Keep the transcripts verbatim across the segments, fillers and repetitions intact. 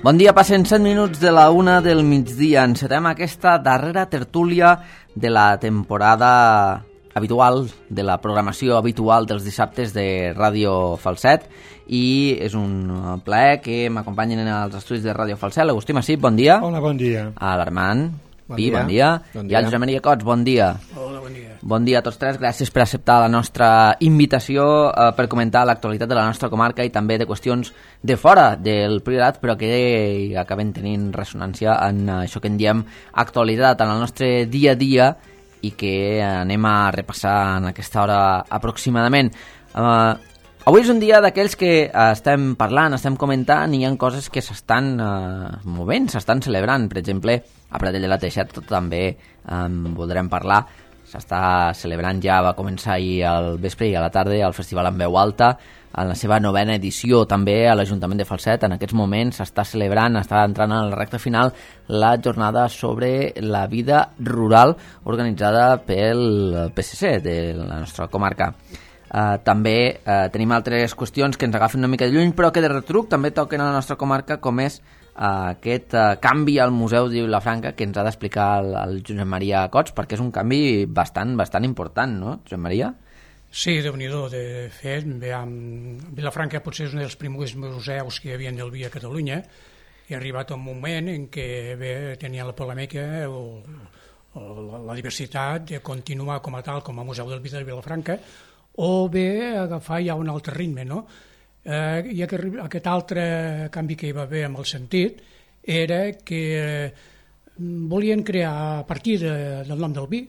Bon dia, passen set minuts de la una del migdia. Encetem aquesta darrera tertúlia de la temporada habitual, de la programació habitual dels dissabtes de Ràdio Falset, i és un plaer que m'acompanyen als estudis de Ràdio Falset l'Agustí Massip, bon dia. Hola, bon dia. A l'Armand Bon Pi, dia. bon dia. Bon I dia. al Josep Maria Cots, bon dia. Hola, bon dia. Bon dia a tots tres, gràcies per acceptar la nostra invitació eh, per comentar l'actualitat de la nostra comarca i també de qüestions de fora del Priorat, però que acaben tenint ressonància en això que en diem actualitat en el nostre dia a dia i que anem a repassar en aquesta hora aproximadament. Eh, avui és un dia d'aquells que eh, estem parlant, estem comentant i hi ha coses que s'estan eh, movent, s'estan celebrant. Per exemple, a Pradell de la Teixeta també en eh, voldrem parlar. S'està celebrant, ja va començar ahir al vespre i a la tarda el Festival en Veu Alta, en la seva novena edició també a l'Ajuntament de Falset. En aquests moments s'està celebrant, està entrant en la recta final, la jornada sobre la vida rural organitzada pel P S C de la nostra comarca. Uh, també uh, tenim altres qüestions que ens agafen una mica de lluny, però que de retruc també toquen a la nostra comarca, com és uh, aquest uh, canvi al Museu de Vilafranca que ens ha d'explicar el, el Josep Maria Cots, perquè és un canvi bastant, bastant important, no, Josep Maria? Sí, Déu-n'hi-do. De fet, veiem, Vilafranca potser és un dels primers museus que hi havia del vi a Catalunya, i ha arribat un moment en què bé, tenia la polèmica o, o la, la diversitat de continuar com a tal, com a Museu del Vi de Vilafranca, o bé agafar ja un altre ritme, no? Eh, I aquest, aquest altre canvi que hi va haver amb el sentit era que eh, volien crear, a partir de, del nom del vi,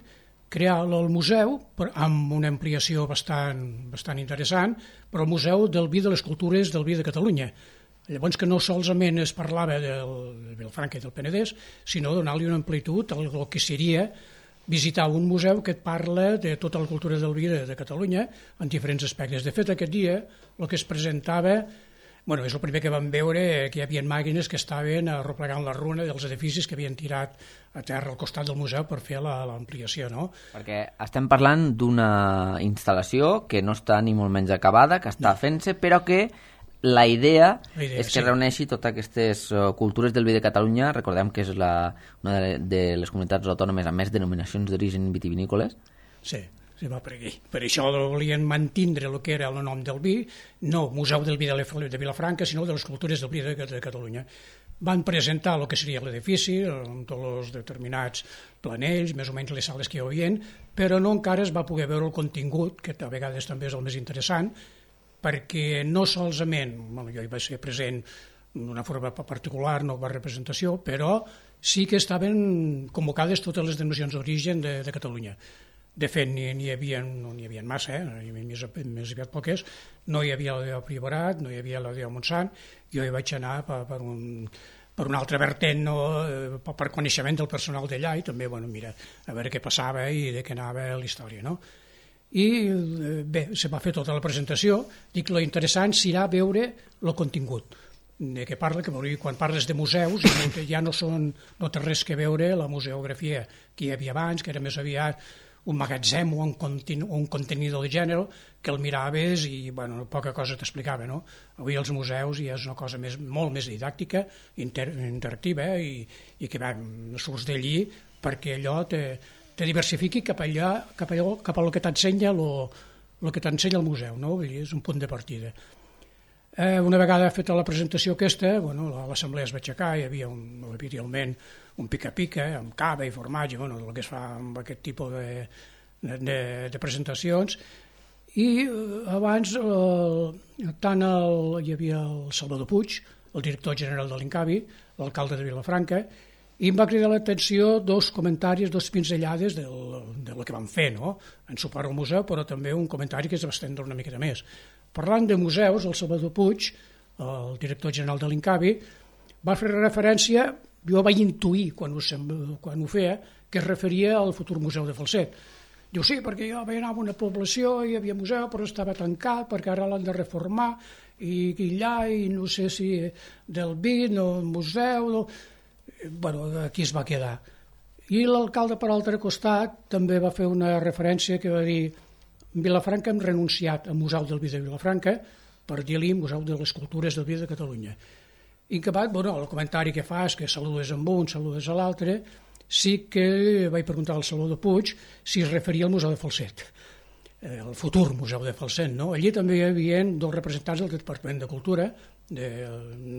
crear el museu per, amb una ampliació bastant, bastant interessant, però el Museu del Vi de les Cultures del Vi de Catalunya. Llavors que no solament es parlava del, del Vilafranca i del Penedès, sinó donar-li una amplitud al que seria visitar un museu que et parla de tota la cultura del vi de, de Catalunya en diferents aspectes. De fet, aquest dia el que es presentava, bueno, és el primer que vam veure, que hi havia màquines que estaven arreplegant la runa dels edificis que havien tirat a terra al costat del museu per fer l'ampliació, no? Perquè estem parlant d'una instal·lació que no està ni molt menys acabada, que està no. fent-se, però que la idea, la idea és que sí. reuneixi totes aquestes uh, cultures del vi de Catalunya. Recordem que és la, una de, de les comunitats autònomes amb més denominacions d'origen vitivinícoles. Sí, sí, va per aquí. Per això volien mantindre el que era el nom del vi, no Museu del Vi de Vilafranca, sinó de les cultures del vi de, de Catalunya. Van presentar el que seria l'edifici, amb tots els determinats planells, més o menys les sales que hi havia, però no encara es va poder veure el contingut, que a vegades també és el més interessant, perquè no solament, bueno, jo hi vaig ser present d'una forma particular, no va representació, però sí que estaven convocades totes les denominacions d'origen de, de Catalunya. De fet, n'hi hi havia, no n'hi havia massa, eh? N'hi havia més, més aviat poques, no hi havia la de Priorat, no hi havia la de Montsant, jo hi vaig anar per, per, un, per un altre vertent, no? per, per coneixement del personal d'allà, i també, bueno, mira, a veure què passava i de què anava la història, no? I bé, se va fer tota la presentació. Dic, lo interessant serà veure el contingut de què parla, que quan parles de museus ja no són, no té res que veure la museografia que hi havia abans, que era més aviat un magatzem o un, continu, un contenidor de gènere que el miraves i bueno, poca cosa t'explicava, no? Avui els museus ja és una cosa més, molt més didàctica, inter, interactiva, eh? I, i que va, surts d'allí perquè allò te te diversifiqui cap allà, cap allò, cap a lo que t'ensenya el que t'ensenya el museu, no? Vull dir, és un punt de partida. Eh, una vegada feta la presentació aquesta, bueno, l'assemblea es va aixecar, hi havia un, habitualment un pica-pica amb cava i formatge, bueno, el que es fa amb aquest tipus de, de, de presentacions, i eh, abans eh, tant el, hi havia el Salvador Puig, el director general de l'Incavi, l'alcalde de Vilafranca, i em va cridar l'atenció dos comentaris, dos pinzellades del, del que van fer, no? En suport al museu, però també un comentari que es va estendre una miqueta més. Parlant de museus, el Salvador Puig, el director general de l'Incavi, va fer referència, jo vaig intuir quan ho, quan ho feia, que es referia al futur museu de Falset. Diu, sí, perquè jo vaig anar a una població, hi havia museu, però estava tancat, perquè ara l'han de reformar, i, i allà, i no sé si del vi, no museu... No... Bueno, aquí es va quedar. I l'alcalde, per altre costat, també va fer una referència que va dir Vilafranca hem renunciat al Museu del Vi de Vilafranca per dir-li Museu de les Cultures del Vi de Catalunya. I que va, bueno, el comentari que fas, que saludes amb un, saludes a l'altre, sí que vaig preguntar al Salvador Puig si es referia al Museu de Falset, el futur Museu de Falset, no? Allí també hi havia dos representants del Departament de Cultura, de,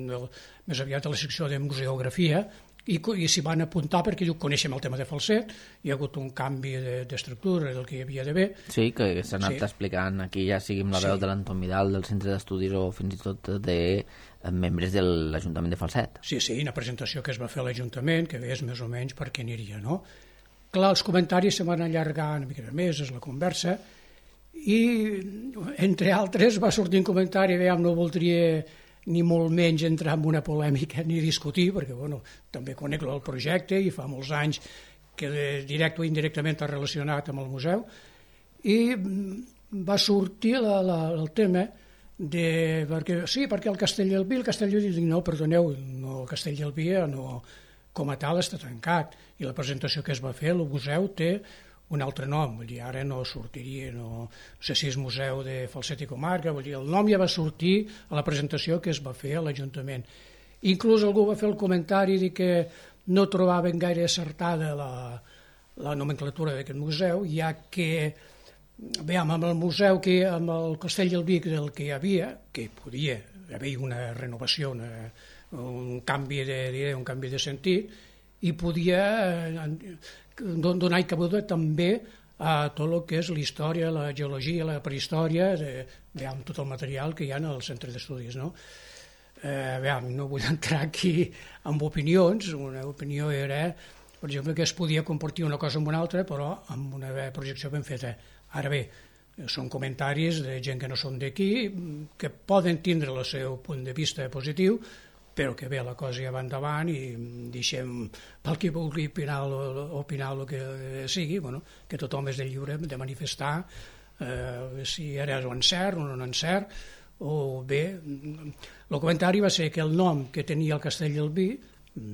de, més aviat de la secció de museografia, i, i s'hi van apuntar perquè diu, coneixem el tema de Falset, hi ha hagut un canvi d'estructura de, del que hi havia d'haver. Sí, que s'ha anat sí. explicant aquí, ja sigui amb la veu sí. de l'Anton Vidal del Centre d'Estudis o fins i tot de membres de l'Ajuntament de Falset. Sí, sí, una presentació que es va fer a l'Ajuntament, que veies més o menys per què aniria, no? Clar, els comentaris se van allargar una mica més, és la conversa, i entre altres va sortir un comentari, veiem, no voldria ni molt menys entrar en una polèmica ni discutir, perquè bueno, també conec el projecte i fa molts anys que directe o indirectament està relacionat amb el museu, i va sortir la, la, el tema de, perquè, sí, perquè el Castellelví, el Castellelví, dic, no, perdoneu, no, el Castellelví no, com a tal està tancat, i la presentació que es va fer, el museu té un altre nom, vull dir, ara no sortiria, no, no sé si és Museu de Falset i Comarca, vull dir, el nom ja va sortir a la presentació que es va fer a l'Ajuntament. Inclús algú va fer el comentari de que no trobaven gaire acertada la, la nomenclatura d'aquest museu, ja que, veiem, amb el museu, que amb el Castellelví del que hi havia, que podia haver una renovació, una, un canvi de, un canvi de sentit, i podia donar cabuda també a tot el que és la història, la geologia, la prehistòria, de, amb tot el material que hi ha al centre d'estudis. No? Eh, veiem, no vull entrar aquí amb opinions, una opinió era, per exemple, que es podia compartir una cosa amb una altra, però amb una projecció ben feta. Ara bé, són comentaris de gent que no són d'aquí, que poden tindre el seu punt de vista positiu, però que bé, la cosa ja va endavant i deixem pel qui vulgui opinar, opinar el que sigui, bueno, que tothom és de lliure de manifestar eh, si era un encert o no un encert, o bé, el comentari va ser que el nom que tenia el Castellelví,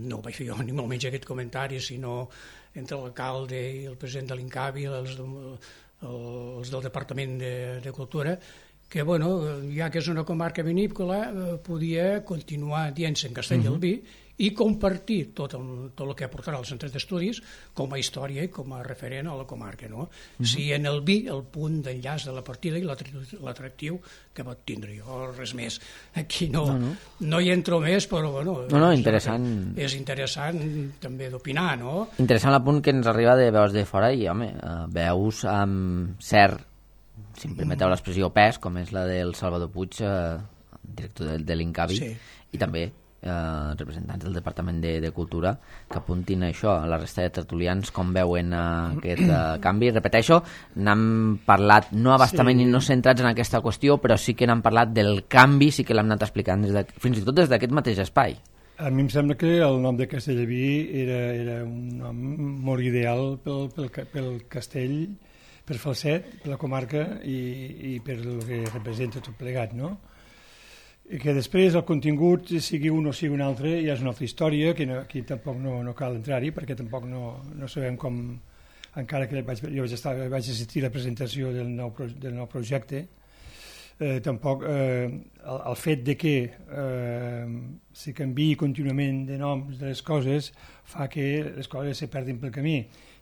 no ho vaig fer jo ni molt menys aquest comentari, sinó entre l'alcalde i el president de l'Incavi, els, els del Departament de, de Cultura, que, bueno, ja que és una comarca vinícola, eh, podia continuar dient-se en Castellelví uh-huh. i compartir tot el, tot el que aportarà al centre d'estudis com a història i com a referent a la comarca. No? Uh-huh. Si en el vi el punt d'enllaç de la partida i l'atractiu que pot tindre. Jo res més. Aquí no, no, no. no hi entro més, però bueno, no, no, interessant. És interessant també d'opinar. No? Interessant el punt que ens arriba de veus de fora i, home, veus amb cert, si em permeteu l'expressió, pes, com és la del Salvador Puig, eh, director de, de l'Incavi, sí. i també eh, representants del Departament de, de Cultura, que apuntin això a la resta de tertulians, com veuen eh, aquest eh, canvi. Repeteixo, n'hem parlat no abastament sí. i no centrats en aquesta qüestió, però sí que n'hem parlat del canvi, sí que l'hem anat explicant des de, fins i tot des d'aquest mateix espai. A mi em sembla que el nom de Castellelví era, era un nom molt ideal pel, pel, pel castell, per Falset, per la comarca i, i per el que representa tot plegat, no? I que després el contingut, sigui un o sigui un altre, ja és una altra història, que no, aquí tampoc no, no cal entrar-hi, perquè tampoc no, no sabem com, encara que vaig, jo vaig, estar, vaig assistir a la presentació del nou, del nou projecte, eh, tampoc eh, el, el fet de que eh, se canviï contínuament de noms de les coses fa que les coses se perdin pel camí.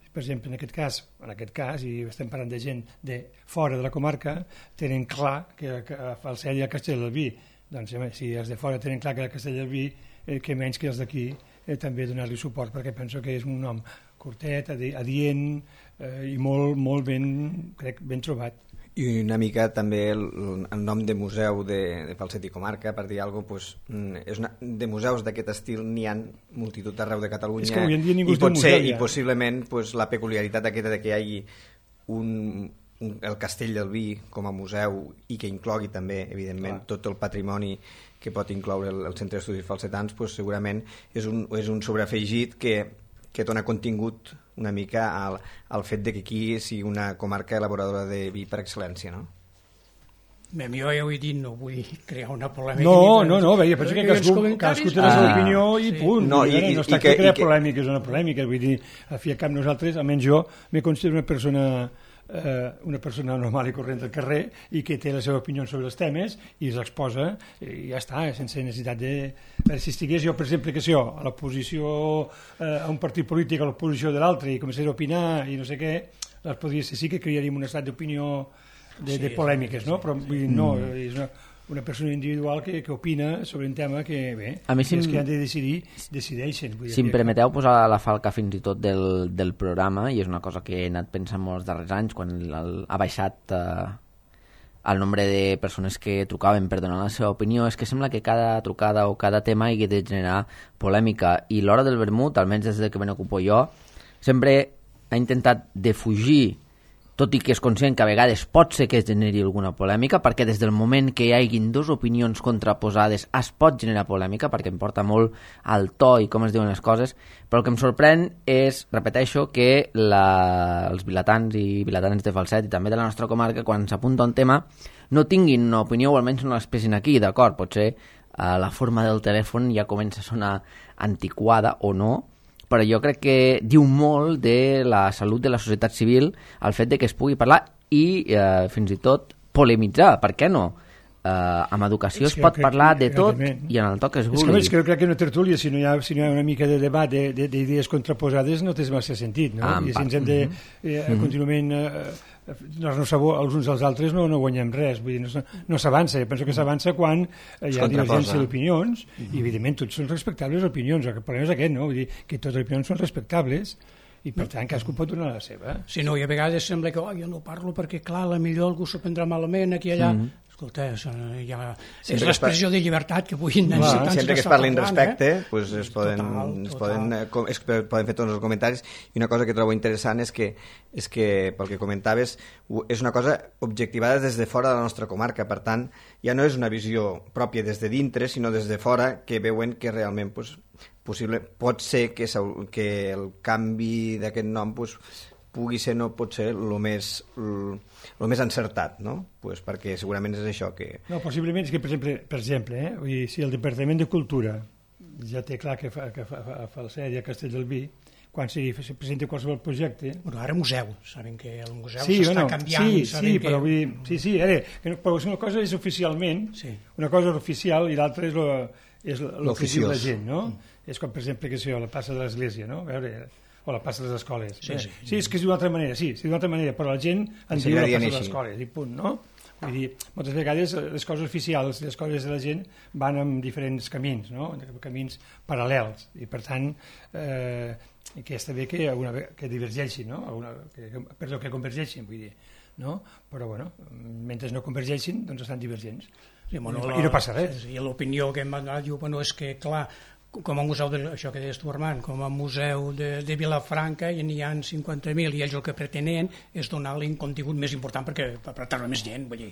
Per exemple, en aquest cas, en aquest cas, i estem parlant de gent de fora de la comarca, tenen clar que, que a Falset hi ha Castellelví. Doncs si els de fora tenen clar que el Castellelví, eh, que menys que els d'aquí, eh, també donar-li suport, perquè penso que és un nom curtet, adient eh, i molt, molt ben, crec, ben trobat. I una mica també el, el nom de museu de, de Falset i Comarca, per dir alguna cosa, pues, és una, de museus d'aquest estil n'hi ha multitud d'arreu de Catalunya, i, pot ser, museu, i possiblement pues, la peculiaritat aquesta de que hi hagi un, un, el Castellelví com a museu i que inclogui també, evidentment, Clar. tot el patrimoni que pot incloure el, el Centre d'Estudis Falsetans, pues, segurament és un, és un sobreafegit que, que dona contingut una mica al, al fet de que aquí sigui una comarca elaboradora de vi per excel·lència, no? Bé, jo ja ho he dit, no vull crear una polèmica. No, no, no, veia, penso que cadascú, cadascú té la seva opinió i punt. No, i, i, no està que crear polèmica, és una polèmica, vull dir, a fi a cap nosaltres, almenys jo, me considero una persona eh, una persona normal i corrent del carrer i que té la seva opinió sobre els temes i s'exposa i ja està, sense necessitat de... Si estigués jo, per exemple, que sé jo, a l'oposició eh, a un partit polític, a l'oposició de l'altre i comencés a opinar i no sé què, les podria ser, sí que crearíem un estat d'opinió de, sí, de polèmiques, no? Però vull dir, no, és una, una persona individual que, que opina sobre un tema que, bé, a mi si els que han de decidir, decideixen. Vull dir, si em permeteu posar la falca fins i tot del, del programa, i és una cosa que he anat pensant molts darrers anys, quan el, ha baixat eh, el nombre de persones que trucaven per donar la seva opinió, és que sembla que cada trucada o cada tema hagi de generar polèmica, i l'hora del vermut, almenys des que me n'ocupo jo, sempre ha intentat defugir, tot i que és conscient que a vegades pot ser que es generi alguna polèmica, perquè des del moment que hi haguin dues opinions contraposades es pot generar polèmica, perquè em porta molt al to i com es diuen les coses, però el que em sorprèn és, repeteixo, que la, els vilatans i vilatans de Falset i també de la nostra comarca, quan s'apunta un tema, no tinguin una opinió o almenys no l'expressin aquí, d'acord, potser eh, la forma del telèfon ja comença a sonar antiquada o no, però jo crec que diu molt de la salut de la societat civil el fet de que es pugui parlar i eh, fins i tot polemitzar, per què no? Eh, amb educació es pot parlar de tot i en el to que es vulgui. És que jo crec que una tertúlia, si no hi ha, si no hi ha una mica de debat d'idees contraposades, no té massa sentit, no? Ah, I si ens hem de eh, contínuament eh, donar-nos sabor els uns als altres no, no guanyem res, vull dir, no, no s'avança. Jo penso que s'avança quan hi ha divergència d'opinions i evidentment tots són respectables opinions, el problema és aquest, no? Vull dir que totes les opinions són respectables i per tant cadascú pot donar la seva. Sí, no, i a vegades sembla que oh, jo no parlo perquè clar, a la millor algú s'ho prendrà malament aquí i allà. Mm. Escolta, és, ja, és l'expressió de llibertat que vull necessitar. Sempre que es parlin respecte, eh? pues es, poden, total, es, poden, es poden fer tots els comentaris. I una cosa que trobo interessant és que, és que pel que comentaves, és una cosa objectivada des de fora de la nostra comarca. Per tant, ja no és una visió pròpia des de dintre, sinó des de fora, que veuen que realment pues, possible, pot ser que, que el canvi d'aquest nom pues, pugui ser, no pot ser el més, el més encertat, no? Pues perquè segurament és això que... No, possiblement és que, per exemple, per exemple eh, vull dir, si el Departament de Cultura ja té clar que fa, que fa, fa, fa el Falset i a Castelldefels, quan se presenta qualsevol projecte... Bueno, ara museu, saben que el museu sí, s'està bueno, canviant. Sí, sí, que... però vull dir, sí, sí, ara, però una cosa és oficialment, sí. Una cosa és oficial i l'altra és lo, és lo que diu la gent, no? Mm. És com, per exemple, que sé jo, la plaça de l'Església, no? A veure... o la plaça de les escoles. Sí, sí, sí, és que és d'una altra manera, sí, és d'una altra manera, però la gent en diu la plaça de les escoles, i punt, no? Vull dir, moltes vegades les coses oficials, les coses de la gent van en diferents camins, no? Camins paral·lels, i per tant, eh, que està bé que, alguna, que divergeixin, no? Alguna, que, per el que convergeixin, vull dir, no? Però, bueno, mentre no convergeixin, doncs estan divergents. Sí, bueno, I no passa res. I l'opinió que hem donat, diu, bueno, és que, clar, com a museu, de, això que deies tu, Armand, com a museu de, de Vilafranca i n'hi ha cinquanta mil i ells el que pretenen és donar-li un contingut més important perquè per atraure més gent, vull dir,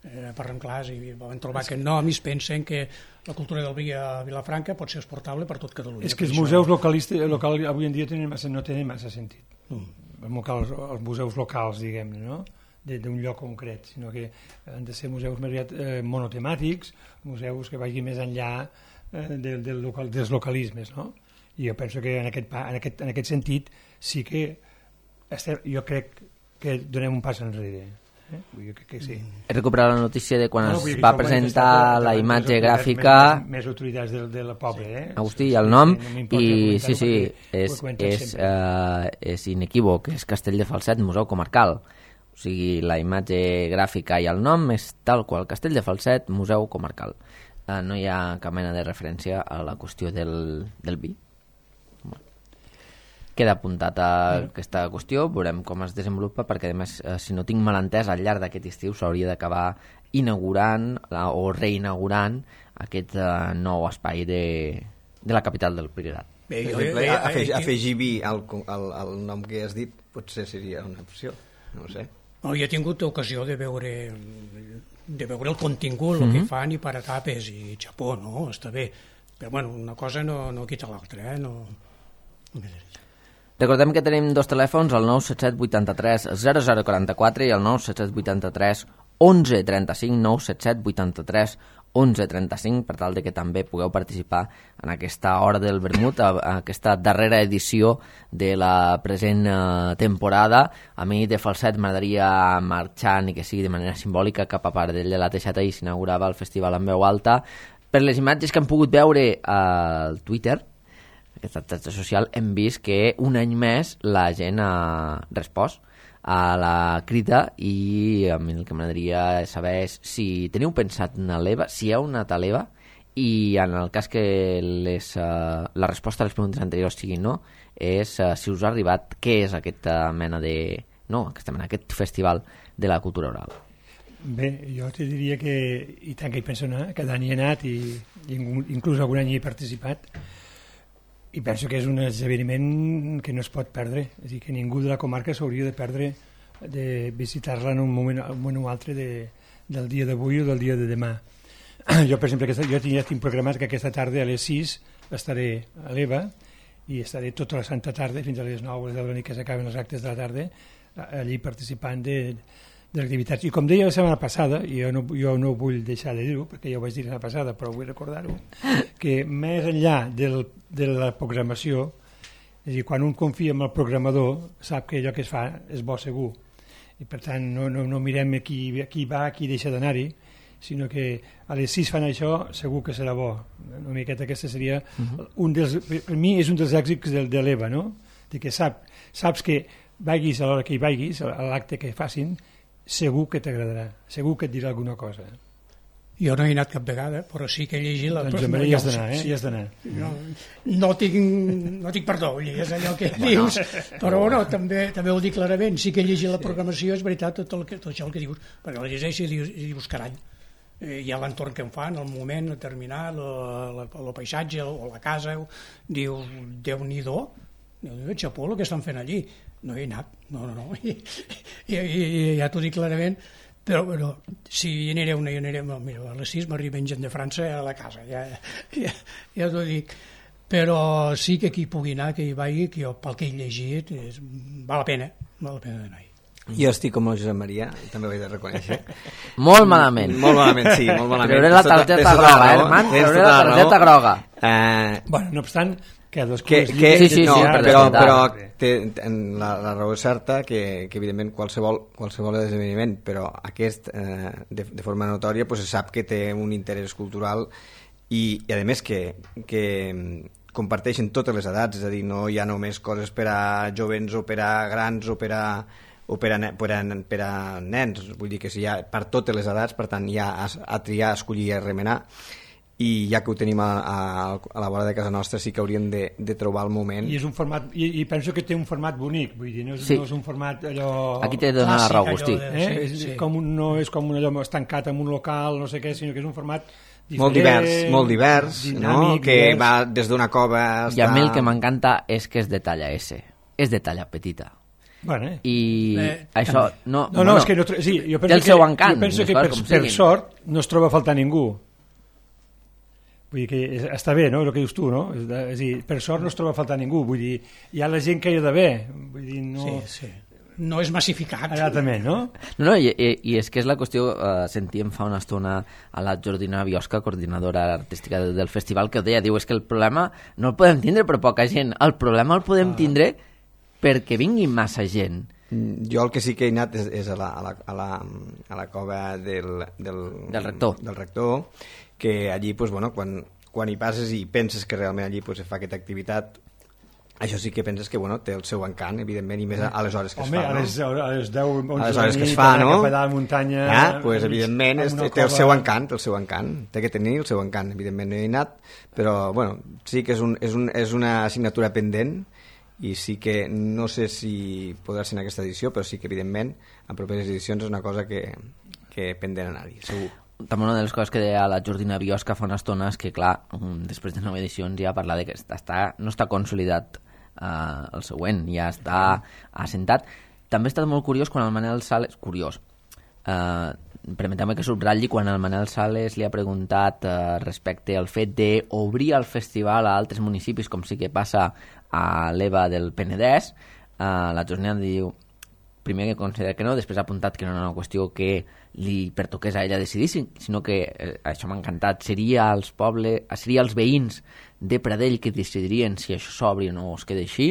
eh, parlem clars i van trobar que no, a mi es pensen que la cultura del vi a Vilafranca pot ser exportable per tot Catalunya. És que els museus localistes local, avui en dia tenen massa, no tenen massa sentit. Mm. Els, els museus locals, diguem-ne, no? d'un lloc concret, sinó que han de ser museus més aviat eh, monotemàtics, museus que vagin més enllà Del, del local, dels localismes, no? I jo penso que en aquest, en aquest, en aquest sentit sí que estem, jo crec que donem un pas enrere. Eh? Jo crec que sí. He recuperat la notícia de quan no, es va presentar la imatge gràfica... Més, més autoritats del, del poble, eh? Agustí, el nom, no i sí, sí, és, és, uh, és inequívoc, és Castelldefels Museu Comarcal. O sigui, la imatge gràfica i el nom és tal qual, Castelldefels Museu Comarcal. Uh, no hi ha cap mena de referència a la qüestió del, del vi. Bueno. Queda apuntat a mm. aquesta qüestió, veurem com es desenvolupa, perquè a més, uh, si no tinc mal entès, al llarg d'aquest estiu s'hauria d'acabar inaugurant uh, o reinaugurant aquest uh, nou espai de, de la capital del Priorat. Bé, per exemple, eh, afegir, afegir vi al, al, al nom que has dit potser seria una opció, no ho sé. No, jo he tingut ocasió de veure de veure el contingut, el mm-hmm. que fan i per etapes i xapó, no? Està bé, però bueno, una cosa no, no quita l'altra, eh? No... Recordem que tenim dos telèfons, el nou set set vuit tres zero zero quatre quatre i el nou set set vuit tres onze trenta-cinc, nou set set vuit tres onze trenta-cinc, per tal de que també pugueu participar en aquesta Hora del Vermut, a, a aquesta darrera edició de la present eh, temporada. A mi de falset m'agradaria marxar, ni que sigui de manera simbòlica, cap a Pardell de la Teixeta, i s'inaugurava el festival en veu alta. Per les imatges que hem pogut veure al Twitter, aquesta xarxa social, hem vist que un any més la gent ha respost a la crida, i a mi el que m'agradaria saber és si teniu pensat anar a l'E V A, si heu anat a l'E V A, i en el cas que les, uh, la resposta a les preguntes anteriors sigui no, és uh, si us ha arribat què és aquesta mena de... no, aquesta mena, aquest festival de la cultura oral. Bé, jo te diria que i tant que hi penso anar, cada any he anat i, i inclús algun any hi he participat, i penso que és un esdeveniment que no es pot perdre, és a dir, que ningú de la comarca s'hauria de perdre de visitar-la en un moment, un moment o altre de, del dia d'avui o del dia de demà. Jo, per exemple, aquesta, jo ja tinc programat que aquesta tarda a les sis estaré a l'E V A i estaré tota la santa tarda fins a les nou o les deu de la nit, que s'acaben els actes de la tarda, allí participant de, de l'activitat. I com deia la setmana passada, i jo no, jo no vull deixar de dir-ho, perquè ja ho vaig dir la setmana passada, però vull recordar-ho, que més enllà del, de la programació, és a dir, quan un confia en el programador, sap que allò que es fa és bo segur. I per tant no, no, no mirem qui, qui va, qui deixa d'anar-hi, sinó que a les sis fan això, segur que serà bo. Una miqueta aquesta seria uh-huh. un dels, per mi és un dels èxits de, de l'E V A, no? De que sap, saps que vagis a l'hora que hi vagis, a l'acte que facin, segur que t'agradarà, segur que et dirà alguna cosa. Jo no he anat cap vegada, però sí que he llegit la... Doncs no, hi has d'anar, eh? Sí. Hi has d'anar. No, no, tinc, no tinc perdó, és allò que bueno. dius, però no, també, també ho dic clarament, sí que he llegit la programació, és veritat, tot, el que, tot això el que dius, perquè la llegeixo i dius, i dius carai, eh, hi ha l'entorn que em fan, el moment determinat, el paisatge o la casa, dius, Déu-n'hi-do, Déu-n'hi-do, xapó, el que estan fent allí. No he anat, no, no, no, I, i, i, i ja t'ho dic clarament, però, però si hi aniré una, hi aniré, mira, a les sis m'arriben gent de França a la casa, ja, ja, ja t'ho dic, però sí que qui pugui anar, que hi vagi, que jo, pel que he llegit, és, val la pena, val la pena d'anar-hi. Jo estic com el Josep Maria, també ho he de reconèixer. Molt malament. Molt malament, sí, molt malament. Treuré la targeta groga, eh, herman? Treuré la targeta groga. Eh... Bueno, no obstant, que dos que, que, sí, sí, no, sí, però, però té, la, la raó és certa que, que evidentment qualsevol, qualsevol esdeveniment, però aquest eh, de, de forma notòria pues, se sap que té un interès cultural i, i a més que, que comparteixen totes les edats, és a dir, no hi ha només coses per a jovens o per a grans o per a o per a, per, a, per a nens, vull dir que si hi ha per totes les edats, per tant hi ha a, a triar, a escollir i a remenar, i ja que ho tenim a, a, a la vora de casa nostra sí que hauríem de, de trobar el moment. I és un format, i, i penso que té un format bonic, vull dir, no és, sí. no és un format allò... Aquí t'he de donar la raó, Agustí. De, eh? sí, sí. Com un, no és com un allò estancat en un local, no sé què, sinó que és un format diferent, molt divers, molt divers, dinàmic, no? Que divers. Va des d'una cova hasta... I a mi el que m'encanta és que és de talla S, és de talla petita. Bueno, eh. I eh, això no, no, no, no, és que no, sí, jo penso té el que, seu encant, jo penso que per, per sort no es troba a faltar ningú. Vull dir que està bé, no?, el que dius tu, no? És, de, és dir, per sort no es troba a faltar ningú, vull dir, hi ha la gent que hi ha d'haver, vull dir, no... Sí, sí. No és massificat. Exactament, no? No, no, i, i, i és que és la qüestió, eh, sentíem fa una estona a la Jordina Biosca, coordinadora artística del, del festival, que ho deia, diu, és que el problema no el podem tindre per poca gent, el problema el podem ah. tindre perquè vingui massa gent. Jo el que sí que he anat és, és a, la, a, la, a, la, a la cova del, del, del, rector. del rector, que allí pues, bueno, quan, quan hi passes i penses que realment allí pues, es fa aquesta activitat, això sí que penses que bueno, té el seu encant, evidentment, i més a, a les hores que Home, es fa. Home, no? a les deu, onze a les hores que es fa, no? A la muntanya... Ja, pues, evidentment, és, té el seu encant, el seu encant. Té que tenir el seu encant. Evidentment no he anat, però bueno, sí que és, un, és, un, és una assignatura pendent i sí que no sé si podrà ser en aquesta edició, però sí que evidentment en properes edicions és una cosa que, que pendent anar-hi, segur. També una de les coses que deia la Jordina Biosca fa una estona és que, clar, després de nou edicions ja parla de que està, no està consolidat eh, el següent, ja està assentat. També ha estat molt curiós quan el Manel Sales... Curiós. Eh, permeteu-me que subratlli quan el Manel Sales li ha preguntat eh, respecte al fet d'obrir el festival a altres municipis, com sí que passa a l'E V A del Penedès, eh, la Jordina diu primer que considera que no, després ha apuntat que no era una qüestió que li pertoqués a ella decidir, sinó que, eh, això m'ha encantat, seria els pobles, seria els veïns de Pradell que decidirien si això s'obri o no es queda així.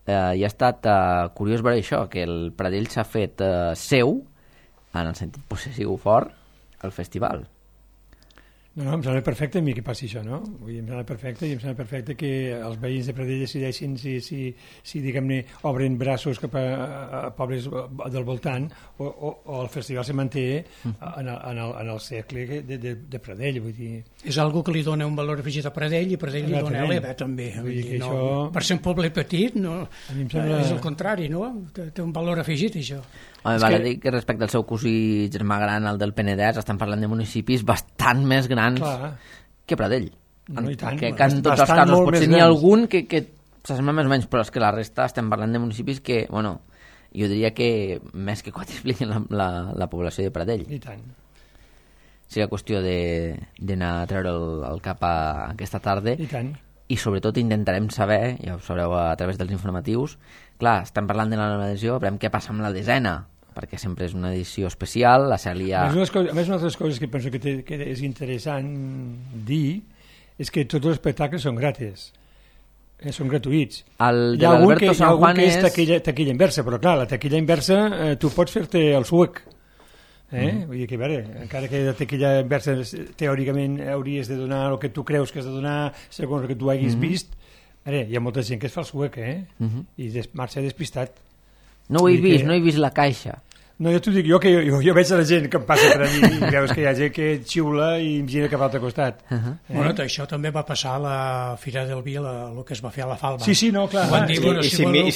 Eh, I ha estat eh, curiós veure això, que el Pradell s'ha fet eh, seu, en el sentit possessiu fort, al festival. No, no, em sembla perfecte a mi que passi això, no? Vull dir, em sembla perfecte i em sembla perfecte que els veïns de Pradell decideixin si, si, si diguem-ne, obren braços cap a, a pobles del voltant o, o, o el festival se manté en el, en el, en el cercle de, de, de Pradell, vull dir... És algo que li dona un valor afegit a Pradell i Pradell li dona a l'Eva, també. Vull dir, no, això... Per ser un poble petit, no, sembla... és el contrari, no? Té, té un valor afegit, això. Home, val a dir que respecte al seu cosí germà gran, el del Penedès, estem parlant de municipis bastant més grans Clar. que Pradell. No, i tant. Que, que en tots els casos potser n'hi ha algun que, que s'assembla més o menys, però és que la resta estem parlant de municipis que, bueno, jo diria que més que quadripliquen la, la, la població de Pradell. I tant. Seria qüestió d'anar a treure el, el cap a aquesta tarda. I tant. I sobretot intentarem saber, ja ho sabreu a través dels informatius, clar, estem parlant de la nova edició, veurem què passa amb la desena, perquè sempre és una edició especial, la Cèlia... A més, coses, a més, una altra cosa que penso que, té, que és interessant dir és que tots els espectacles són gratis, eh, són gratuïts. El de l'Alberto San Juan és... Hi ha algun que és és... taquilla, taquilla inversa, però clar, la taquilla inversa eh, tu pots fer-te el suec. Eh? Mm. Vull dir que, a veure, encara que la taquilla inversa teòricament hauries de donar el que tu creus que has de donar segons el que tu hagis mm -hmm. vist, veure, hi ha molta gent que es fa el suec, eh? Mm -hmm. I des, marxa despistat. No ho he vist, que... no he vist la caixa. No, jo t'ho dic, jo, que jo, jo veig a la gent que em passa per allí i veus que hi ha gent que xiula i em gira cap a l'altre costat. Uh -huh. eh? Bueno, això també va passar a la Fira del Vi, el que es va fer a la Falva. Sí, sí, no, clar. Quan diu, bueno, I si si voleu... I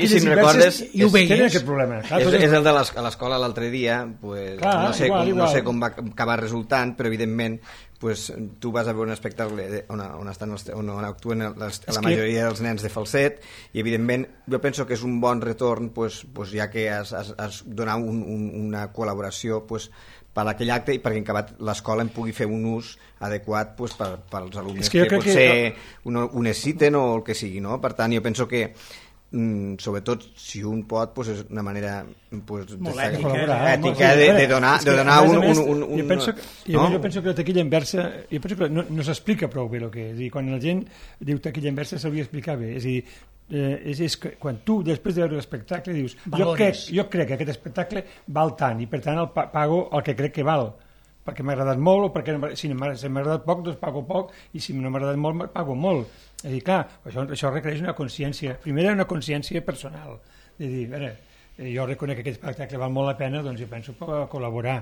si em recordes... I ho veies. Tenen aquest problema. Clar, és, és... és el de l'escola l'altre dia, pues, clar, no, sé igual, com, igual. no sé com va acabar resultant, però evidentment pues, tu vas a veure un espectacle on, on, estan els, on, on actuen les, la majoria que... dels nens de falset i evidentment jo penso que és un bon retorn pues, pues, ja que has, has, has donat un, un, una col·laboració pues, per aquell acte i perquè en acabat l'escola en pugui fer un ús adequat pues, per, per als alumnes que, que potser que... ho, ho necessiten o el que sigui, no? Per tant jo penso que Mm, sobretot si un pot pues, és una manera pues, molt de, ètica, ètica de, de donar, de donar un, un, un, un... Jo penso que, no? jo penso que la taquilla inversa jo penso que no, no s'explica prou bé el que és. És dir, quan la gent diu taquilla inversa s'hauria d'explicar bé. És a dir, eh, és, és que quan tu després de veure l'espectacle dius jo crec, jo crec que aquest espectacle val tant i per tant el pago el que crec que val perquè m'ha agradat molt o perquè si m'ha agradat poc doncs pago poc i si no m'ha agradat molt pago molt. És a dir, clar, això, això requereix una consciència, primer una consciència personal, de dir, a veure, jo reconec que aquest espectacle val molt la pena, doncs jo penso per col·laborar.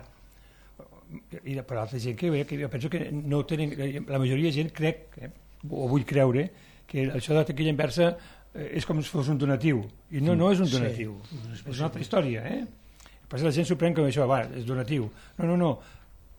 I per altra gent que, que jo penso que no tenen, la majoria de gent crec, eh, o vull creure, que això de la taquilla inversa és com si fos un donatiu, i no, no és un donatiu, sí. És una altra història, eh? Però la gent s'ho pren com això, va, és donatiu. No, no, no.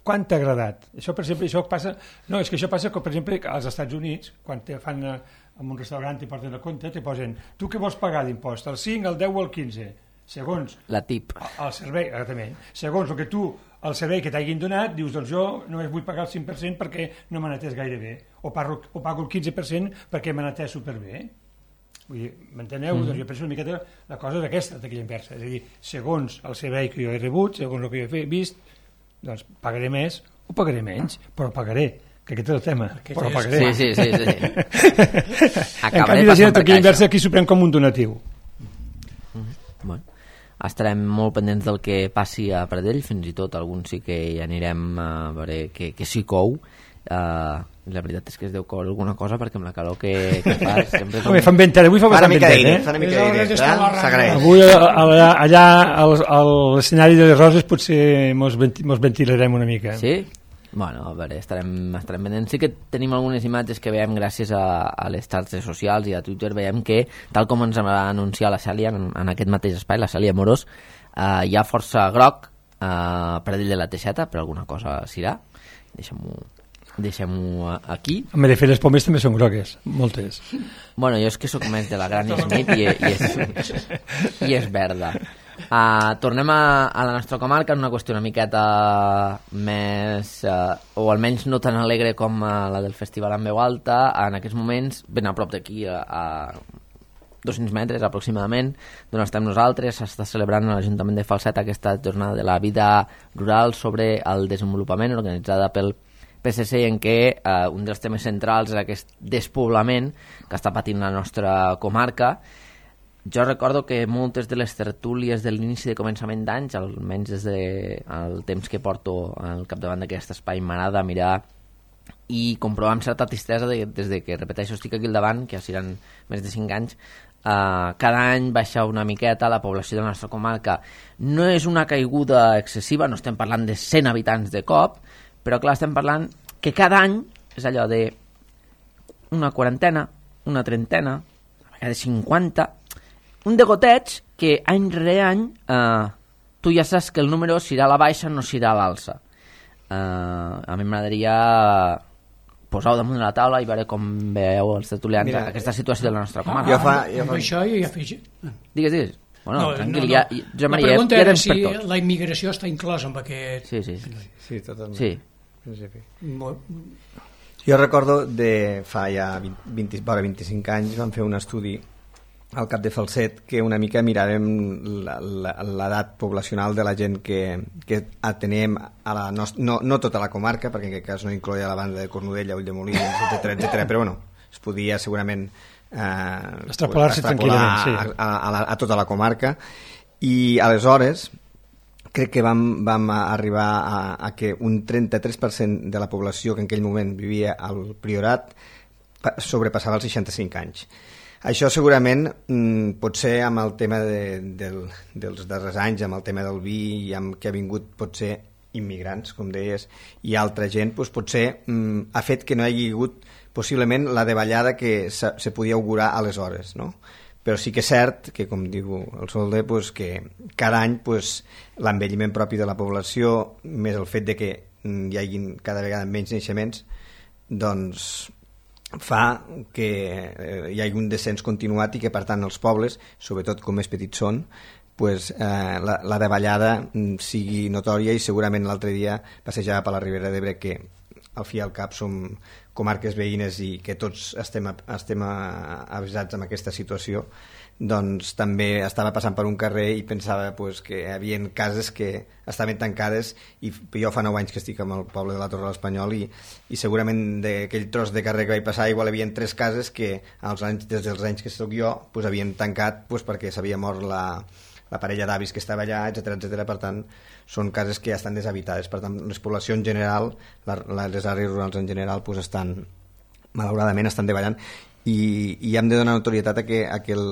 Quant t'ha agradat? Això, per exemple, això passa... No, és que això passa, per exemple, als Estats Units, quan te fan en un restaurant i porten el compte, te posen, tu què vols pagar d'impost? El cinc, el deu o el quinze? Segons... La tip. El servei, exactament. Segons el que tu, el servei que t'hagin donat, dius, doncs jo només vull pagar el cinc per cent perquè no m'han atès gaire bé. O, parlo, o pago el quinze per cent perquè m'han atès superbé. Vull dir, m'enteneu? Mm-hmm. Doncs jo penso una miqueta la cosa és aquesta, taquilla inversa. És a dir, segons el servei que jo he rebut, segons el que jo he vist, doncs pagaré més o pagaré menys, però pagaré, que aquest és el tema, aquest però és... pagaré. Sí, sí, sí. sí. En canvi, la gent de taquilla inversa aquí s'ho pren com un donatiu. Mm-hmm. Bueno, estarem molt pendents del que passi a Pradell, fins i tot alguns sí que hi anirem a veure que, que s'hi cou. Uh, la veritat és que es deu coure alguna cosa perquè amb la calor que, que fa sempre com... Home, fan ventet, avui fa bastant ventet, eh? Fa una mica d'aire, s'agraeix. Avui allà, allà a l'escenari de les Roses potser mos, venti, mos ventilarem una mica. Sí? Bueno, a veure, estarem, estarem pendents. Sí que tenim algunes imatges que veiem gràcies a, a les xarxes socials i a Twitter, veiem que, tal com ens va anunciar la Cèlia en, en aquest mateix espai, la Cèlia Morós, uh, hi ha força groc a uh, Pradell de la Teixeta, però alguna cosa serà. Deixem-ho deixem-ho aquí. Home, de fet, les pomes també són grogues, moltes. Bueno, jo és que sóc més de la Granny Smith i, i, és, i és verda. Uh, tornem a, a la nostra comarca en una qüestió una miqueta més, uh, o almenys no tan alegre com uh, la del Festival en Veu Alta. En aquests moments, ben a prop d'aquí, a, a dos-cents metres aproximadament d'on estem nosaltres. S'està celebrant a l'Ajuntament de Falset aquesta jornada de la vida rural sobre el desenvolupament, organitzada pel P S C, en què eh, un dels temes centrals és aquest despoblament que està patint la nostra comarca. Jo recordo que moltes de les tertúlies de l'inici de començament d'anys, almenys des del temps que porto al capdavant d'aquest espai, m'agrada mirar i comprovar amb certa tristesa de, des de que, repeteixo, estic aquí al davant, que ja seran més de cinc anys, eh, cada any baixa una miqueta la població de la nostra comarca. No és una caiguda excessiva, no estem parlant de cent habitants de cop, però clar, estem parlant que cada any és allò de una quarantena, una trentena, a vegades cinquanta, un de goteig que any rere any eh, tu ja saps que el número s'irà a la baixa, no s'irà a l'alça. Eh, a mi m'agradaria posar-ho damunt de la taula i veure com veieu els tertulians Mira, aquesta situació de la nostra comarca. Jo fa, jo fa... Això i afegir... Digues, digues. Bueno, no, tranquil, no, no. ja, jo, Maria, la pregunta ja, ja era si per tots. La immigració està inclosa en aquest... Sí, sí. Sí, sí totalment. Sí. Sí. Molt... Jo recordo de fa ja vint, vora vint-i-cinc anys vam fer un estudi al Cap de Falset que una mica miràvem l'edat poblacional de la gent que, que atenem a la nostra, no, no tota la comarca, perquè en aquest cas no incloia la banda de Cornudella, Ulldemolins, etcètera, etcètera, però bueno, es podia segurament eh, extrapolar-se tranquil·lament, sí. a, a, a, a tota la comarca, i aleshores crec que vam, vam arribar a, a que un trenta-tres per cent de la població que en aquell moment vivia al Priorat sobrepassava els seixanta-cinc anys. Això segurament mm, pot ser amb el tema de, del, dels darrers anys, amb el tema del vi i amb que ha vingut potser immigrants, com deies, i altra gent, doncs potser mm, ha fet que no hi hagi hagut possiblement la davallada que se, se podia augurar aleshores, no? Però sí que és cert que, com diu el Solder, pues, que cada any pues, l'envelliment propi de la població, més el fet de que hi hagi cada vegada menys naixements, doncs fa que eh, hi hagi un descens continuat i que, per tant, els pobles, sobretot com més petits són, pues, eh, la, la davallada sigui notòria, i segurament l'altre dia passejava per la Ribera d'Ebre, que al fi i al cap som comarques veïnes i que tots estem, estem avisats amb aquesta situació, doncs també estava passant per un carrer i pensava pues, que hi havia cases que estaven tancades, i jo fa nou anys que estic amb el poble de la Torre de l'Espanyol, i, i segurament d'aquell tros de carrer que vaig passar igual hi havia tres cases que als anys, des dels anys que soc jo pues, havien tancat pues, perquè s'havia mort la, la parella d'avis que estava allà, etcètera, etcètera. Per tant, són cases que ja estan deshabitades. Per tant, les poblacions en general, la, les àrees rurals en general, pues, estan, malauradament, estan davallant, i, i hem de donar notorietat a que, a que el,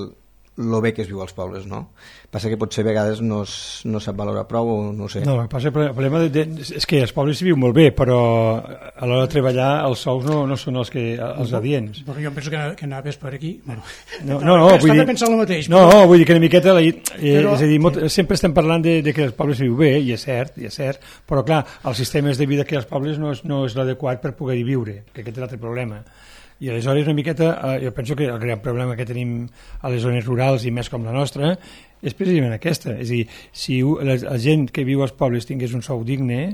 lo bé que es viu als pobles, no? Passa que potser a vegades no, es, no sap valorar prou, o no sé. No, passa, el problema de, de, és que als pobles s'hi viu molt bé, però a l'hora de treballar els sous no, no són els, que, els adients. Però jo penso que, que anaves per aquí. Bueno, no, no, no, vull dir, pensant el mateix. No, no, vull dir que una miqueta, la, eh, però, és a dir, molt, sempre estem parlant de, de que els pobles s'hi viu bé, i és cert, i és cert, però clar, els sistemes de vida que hi ha als pobles no és, no és l'adequat per poder-hi viure, que aquest és l'altre problema. I aleshores una miqueta, eh, jo penso que el gran problema que tenim a les zones rurals i més com la nostra és precisament aquesta, és a dir, si la, la gent que viu als pobles tingués un sou digne,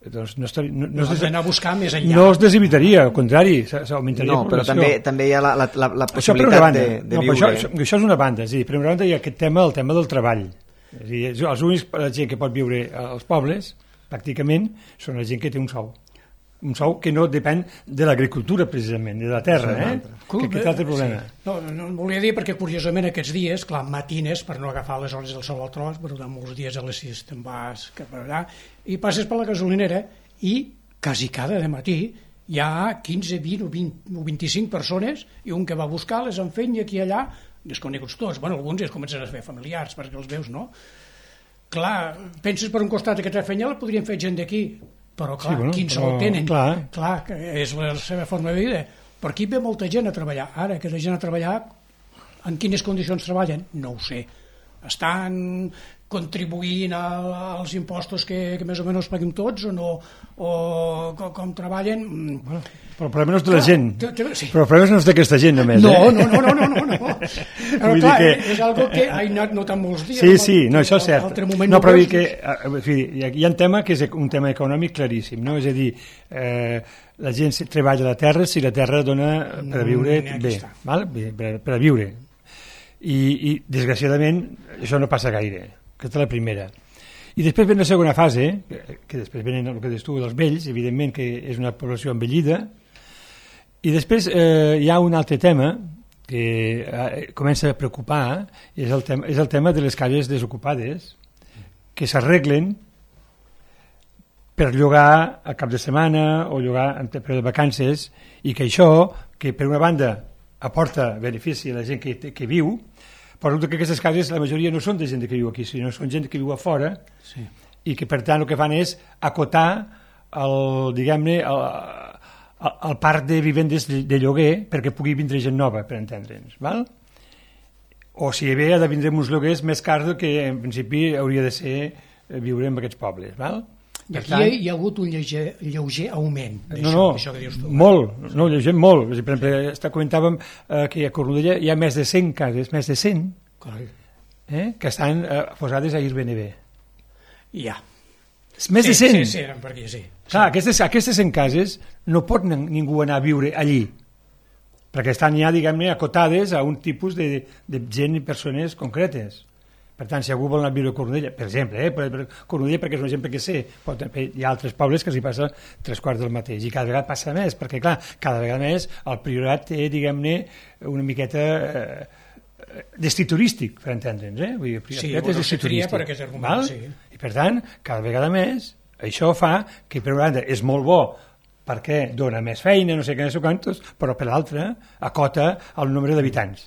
doncs no, estaria, no, no, no es, anar a buscar més enllà. No es desevitaria, al contrari, s'augmentaria no, la població. No, però també, també hi ha la, la, la, la possibilitat banda, de, de no, viure. Això, això és una banda, és a dir, per una banda hi ha aquest tema, el tema del treball. És a dir, els únics la gent que pot viure als pobles, pràcticament, són la gent que té un sou. Un sou que no depèn de l'agricultura, precisament, de la terra, eh? Que aquest altre problema. Sí. No, no em volia dir perquè, curiosament, aquests dies, clar, matines, per no agafar les hores del sol al tros, però de molts dies a les sis te'n vas cap allà, i passes per la gasolinera i quasi cada de matí hi ha quinze, vint o, vint o vint-i-cinc persones, i un que va buscar les enfenya aquí i allà, desconeguts tots, bueno, alguns ja es comencen a fer familiars perquè els veus, no? Clar, penses per un costat que aquesta feina la podrien fer gent d'aquí, però clar, sí, bueno, quins però, el tenen, clar. clar, que és la seva forma de vida. Per aquí ve molta gent a treballar. Ara, que la gent a treballar, en quines condicions treballen? No ho sé. Estan contribuint a, als impostos que, que més o menys paguem tots o no? O com, com treballen? Bueno, però el problema no és de la gent. T -t -t sí. Però el problema no és d'aquesta gent només. No, eh? no, no, no, no, no, no. Però clar, que... és algo que ha anat notant molts dies. Sí, sí, no, això és cert. No, no però dir que hi ha un tema que és un tema econòmic claríssim, no? És a dir, eh, la gent treballa a la terra si la terra dona per a viure bé, val? Per, per a viure. I, i desgraciadament això no passa gaire. Aquesta és la primera. I després ve la segona fase, que, que després venen el que dius tu, els vells, evidentment que és una població envellida, i després eh, hi ha un altre tema que eh, comença a preocupar, és el, tema, és el tema de les cases desocupades, que s'arreglen per llogar a cap de setmana o llogar en període de vacances, i que això, que per una banda aporta benefici a la gent que, que viu, però resulta que aquestes cases la majoria no són de gent que viu aquí, sinó són gent que viu a fora, sí. I que per tant el que fan és acotar el, diguem-ne, el, el, el parc de vivendes de, de lloguer perquè pugui vindre gent nova, per entendre'ns, val? O si bé ha de vindre uns lloguers més cars del que en principi hauria de ser viure en aquests pobles, val? I aquí tant, hi ha hagut un lleuger, lleuger augment d'això, no, no, d'això que dius tu. Molt, no, lleuger molt. Per exemple, comentàvem eh, que a Cornudella hi ha més de cent cases, més de cent, eh, que estan eh, posades a Airbnb. Ja. Més sí, de cent. Sí, sí, eren per aquí, sí. Clar, sí. Aquestes, aquestes cent cases no pot ningú anar a viure allí, perquè estan ja, diguem-ne, acotades a un tipus de, de gent i persones concretes. Per tant, si algú vol anar a viure a Cornudella, per exemple, eh, per, per Cornudella perquè és un exemple que sé, però hi ha altres pobles que s'hi passa tres quarts del mateix, i cada vegada passa més, perquè clar, cada vegada més el Priorat té, diguem-ne, una miqueta eh, destí turístic, per entendre'ns, eh? Vull dir, el sí, Priorat bueno, és destí turístic. Per aquest argument, sí. I per tant, cada vegada més, això fa que per una banda és molt bo perquè dona més feina, no sé què, no sé quantos, però per l'altra acota el nombre d'habitants.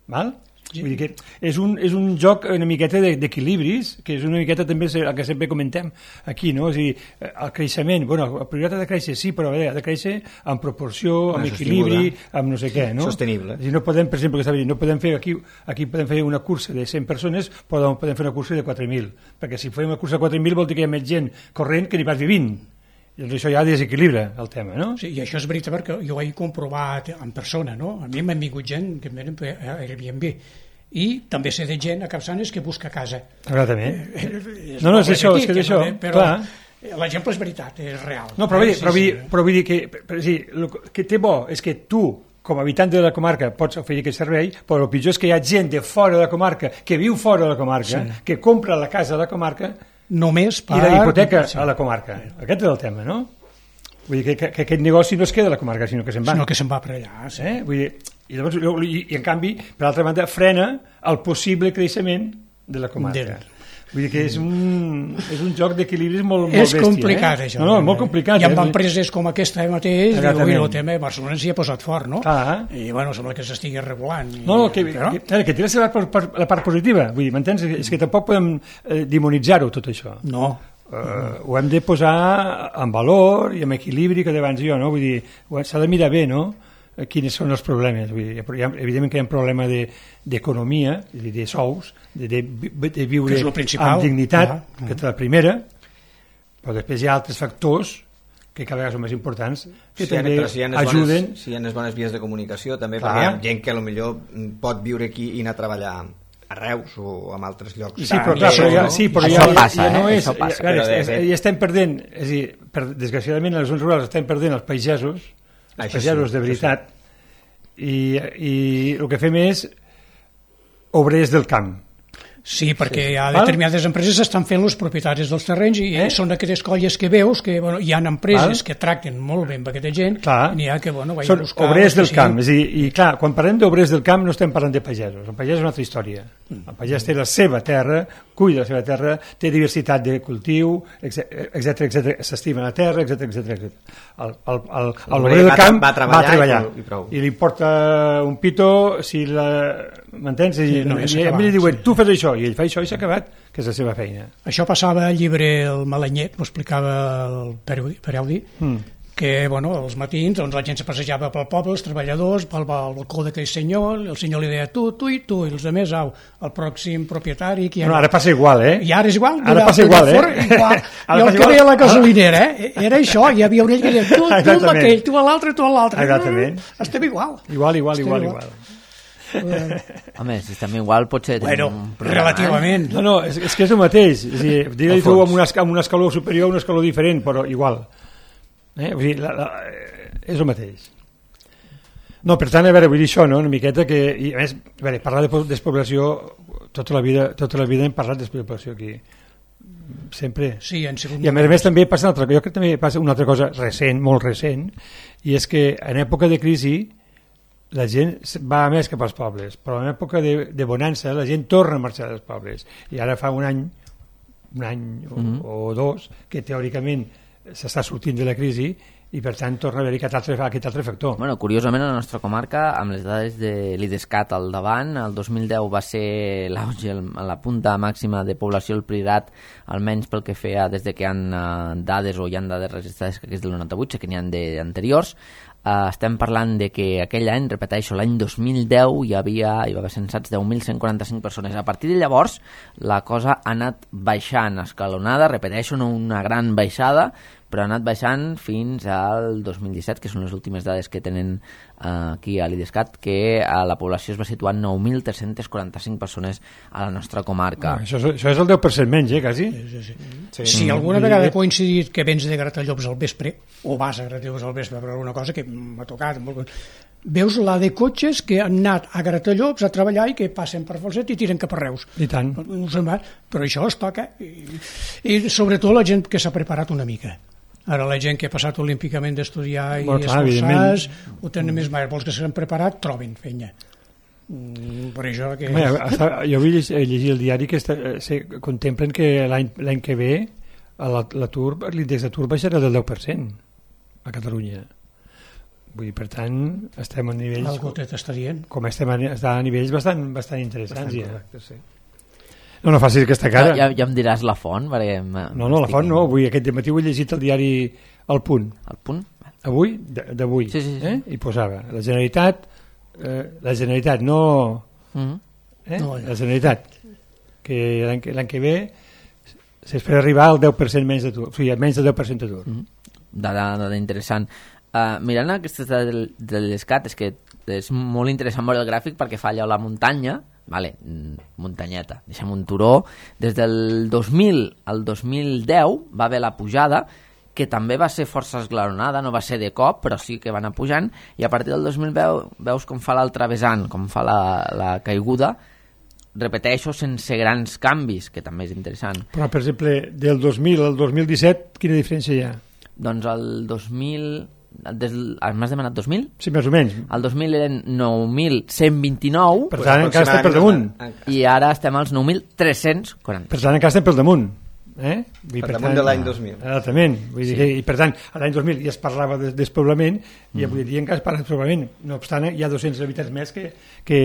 Val? Sí. Vull dir que és un, és un joc una miqueta d'equilibris, que és una miqueta també el que sempre comentem aquí, no? És a dir, el creixement, bueno, el Priorat ha de créixer, sí, però ha de créixer en proporció, amb equilibri, amb no sé què, no? Sostenible. És a dir, no podem, per exemple, que estava dient, no podem fer aquí, aquí podem fer una cursa de cent persones, però podem fer una cursa de quatre mil, perquè si fem una cursa de quatre mil vol dir que hi ha més gent corrent que n'hi vas vivint. I doncs això ja desequilibra el tema, no? Sí, i això és veritat perquè jo ho he comprovat en persona, no? A mi m'han vingut gent que em venen a Airbnb i també sé de gent a Capçanes que busca casa. Exactament. Eh, no, no, és això, és que és això, però clar. L'exemple és veritat, és real. No, però, eh? sí, però, sí, sí. però vull dir que, per, sí, el que té bo és que tu, com a habitant de la comarca, pots oferir aquest servei, però el pitjor és que hi ha gent de fora de la comarca, que viu fora de la comarca, sí. que compra la casa de la comarca només per... i la hipoteca sí. a la comarca. Aquest és el tema, no? Vull dir que, que, que aquest negoci no es queda a la comarca, sinó que se'n va. Sinó que se'n va per allà, sí. Eh? Vull dir, i, llavors, i, i en canvi, per altra banda, frena el possible creixement de la comarca. De... Vull dir que és un, és un joc d'equilibris molt, molt és bèstia. És complicat, eh? això. No, no, molt complicat. I amb eh? empreses com aquesta mateix, i el tema de Barcelona s'hi ha posat fort, no? Clar. I, bueno, sembla que s'estigui regulant. I... No, que, però... que, que té la seva part, la part positiva. Vull dir, m'entens? És que tampoc podem eh, demonitzar-ho, tot això. No. Uh, mm. Ho hem de posar en valor i en equilibri, que d'abans jo, no? Vull dir, s'ha de mirar bé, no? Quins són els problemes. Vull dir, hi ha, evidentment que hi ha un problema d'economia, de, de sous, de, de, de viure amb dignitat, ah, que és la primera, però després hi ha altres factors que cada vegada són més importants, que si també ha, si hi ajuden... Bones, si hi ha les bones vies de comunicació, també, clar. Perquè hi ha gent que potser pot viure aquí i anar a treballar a Reus o en altres llocs. Sí, però, clar, però, ja, sí, però ja, passa, ja no eh? és... Passa. Ja, ja, ja, ja estem perdent, és a dir, per, desgraciadament a les zones rurals estem perdent els pagesos, els això pagesos sí, de veritat, sí. i, i el que fem és obrers del camp. Sí, perquè sí. Hi ha determinades Val? empreses que estan fent els propietaris dels terrenys i eh? són aquestes colles que veus que bueno, hi ha empreses Val? que tracten molt bé amb aquesta gent clar. i n'hi ha que bueno, vaig són a buscar... obrers del camp, és a dir, i clar, quan parlem d'obrers del camp no estem parlant de pagesos, el pagès és una altra història. El pagès té la seva terra, cuida la seva terra, té diversitat de cultiu, etcètera, etcètera, s'estima la terra, etcètera, etcètera. El, el, el, l'obrer del camp va treballar, va treballar i, prou. i li porta un pito si la... m'entens? I, sí, no, i, i a mi li diuen, sí. tu fas això, i ell fa això i s'ha acabat, que és la seva feina. Això passava al llibre El Malanyet, ho explicava el Pereudi, mm. que bueno, als matins doncs, la gent se passejava pel poble, els treballadors, pel balcó d'aquell senyor, el senyor li deia tu, tu i tu, i els altres, au, el pròxim propietari... Que no, ara passa igual, eh? I ara és igual. Ara passa igual, eh? Igual. I el que deia la gasolinera, eh? Era això, hi havia un ell que deia tu, tu amb aquell, tu a l'altre, tu a l'altre. Exactament. Estem igual. Igual, igual, igual, igual. Home, si estem igual potser bueno, relativament no, no, és, és que és el mateix és dir, digue-li tu amb, una, amb un escaló superior un escaló diferent, però igual eh? Vull dir, la, la, és el mateix. No, per tant, a veure, vull dir això, no? Una miqueta que... I, a més, a veure, parlar de despoblació, tota la vida, tota la vida hem parlat de despoblació aquí. Sempre. Sí, en segon I a més a més també passa una altra, jo crec que també passa una altra cosa recent, molt recent, i és que en època de crisi la gent va més cap als pobles, però en època de, de bonança la gent torna a marxar dels pobles. I ara fa un any, un any o, mm-hmm. o dos, que teòricament s'està sortint de la crisi i per tant torna a haver-hi aquest altre, aquest altre factor. Bueno, curiosament a la nostra comarca, amb les dades de l'IDESCAT al davant, el dos mil deu va ser l'auge, la punta màxima de població al Priorat, almenys pel que feia des de que hi ha uh, dades o hi ha dades registrades que és del noranta-vuit, sé que n'hi ha d'anteriors. Uh, estem parlant de que aquell any, repeteixo, l'any dos mil deu hi havia, hi va haver censats deu mil cent quaranta-cinc persones. A partir de llavors la cosa ha anat baixant, escalonada, repeteixo, no una gran baixada, però ha anat baixant fins al dos mil disset, que són les últimes dades que tenen uh, aquí a l'IDESCAT, que uh, la població es va situar en nou mil tres-cents quaranta-cinc persones a la nostra comarca. Ah, això, això és el deu per cent menys, eh, quasi? Sí, sí, sí. Sí. Si alguna mm. vegada ha coincidit que vens de Gratallops al vespre, o vas a Gratallops al vespre per alguna cosa que m'ha tocat, veus la de cotxes que han anat a Gratallops a treballar i que passen per Falset i tiren cap a Reus. I tant. No sé més, però això es toca. I, i sobretot la gent que s'ha preparat una mica. Ara la gent que ha passat olímpicament d'estudiar i bueno, esforçar-se, ho tenen més mal. Els que s'han preparat troben feina. Mm, per això que... Bé, hasta, jo vull llegir el diari que està, se contemplen que l'any que ve l'atur, l'índex d'atur baixarà del deu per cent a Catalunya. Vull dir, per tant, estem a nivells... Algú t'està dient. Com estem a, a nivells bastant, bastant interessants. Bastant correcte, ja. Sí. No, no facis aquesta cara. Ja, ja em diràs la font, perquè... No, no, la font no. Avui, aquest matí ho he llegit al diari El Punt. El Punt? Avui, d'avui. Sí, sí, sí. Eh? I posava, la Generalitat, eh, la Generalitat, no... Mm-hmm. Eh? No, la Generalitat, que l'any que, que ve s'espera arribar al deu per cent menys d'atur, o sigui, menys del deu per cent d'atur. Mm-hmm. Dada, dada interessant. Uh, mirant aquestes de, de l'ESCAT, és que és molt interessant veure el gràfic perquè fa allò la muntanya, vale, muntanyeta, deixem un turó, des del dos mil al dos mil deu va haver la pujada, que també va ser força esglaonada, no va ser de cop, però sí que va anar pujant, i a partir del dos mil deu veus com fa l'altre vessant, com fa la, la caiguda, repeteixo, sense grans canvis, que també és interessant. Però, per exemple, del dos mil al dos mil disset, quina diferència hi ha? Doncs el dos mil... M'has demanat dos mil? Sí, més o menys. El dos mil eren nou mil cent vint-i-nou. Per tant, encara estem per damunt. I ara estem als nou mil tres-cents quaranta. Per tant, encara estem per damunt. Eh? Vull, per, per damunt tant, de l'any dos mil. Exactament. Vull dir sí. que, I per tant, a l'any dos mil ja es parlava de despoblament i mm. avui dia encara es parla de despoblament. No obstant, hi ha dos-cents habitants més que, que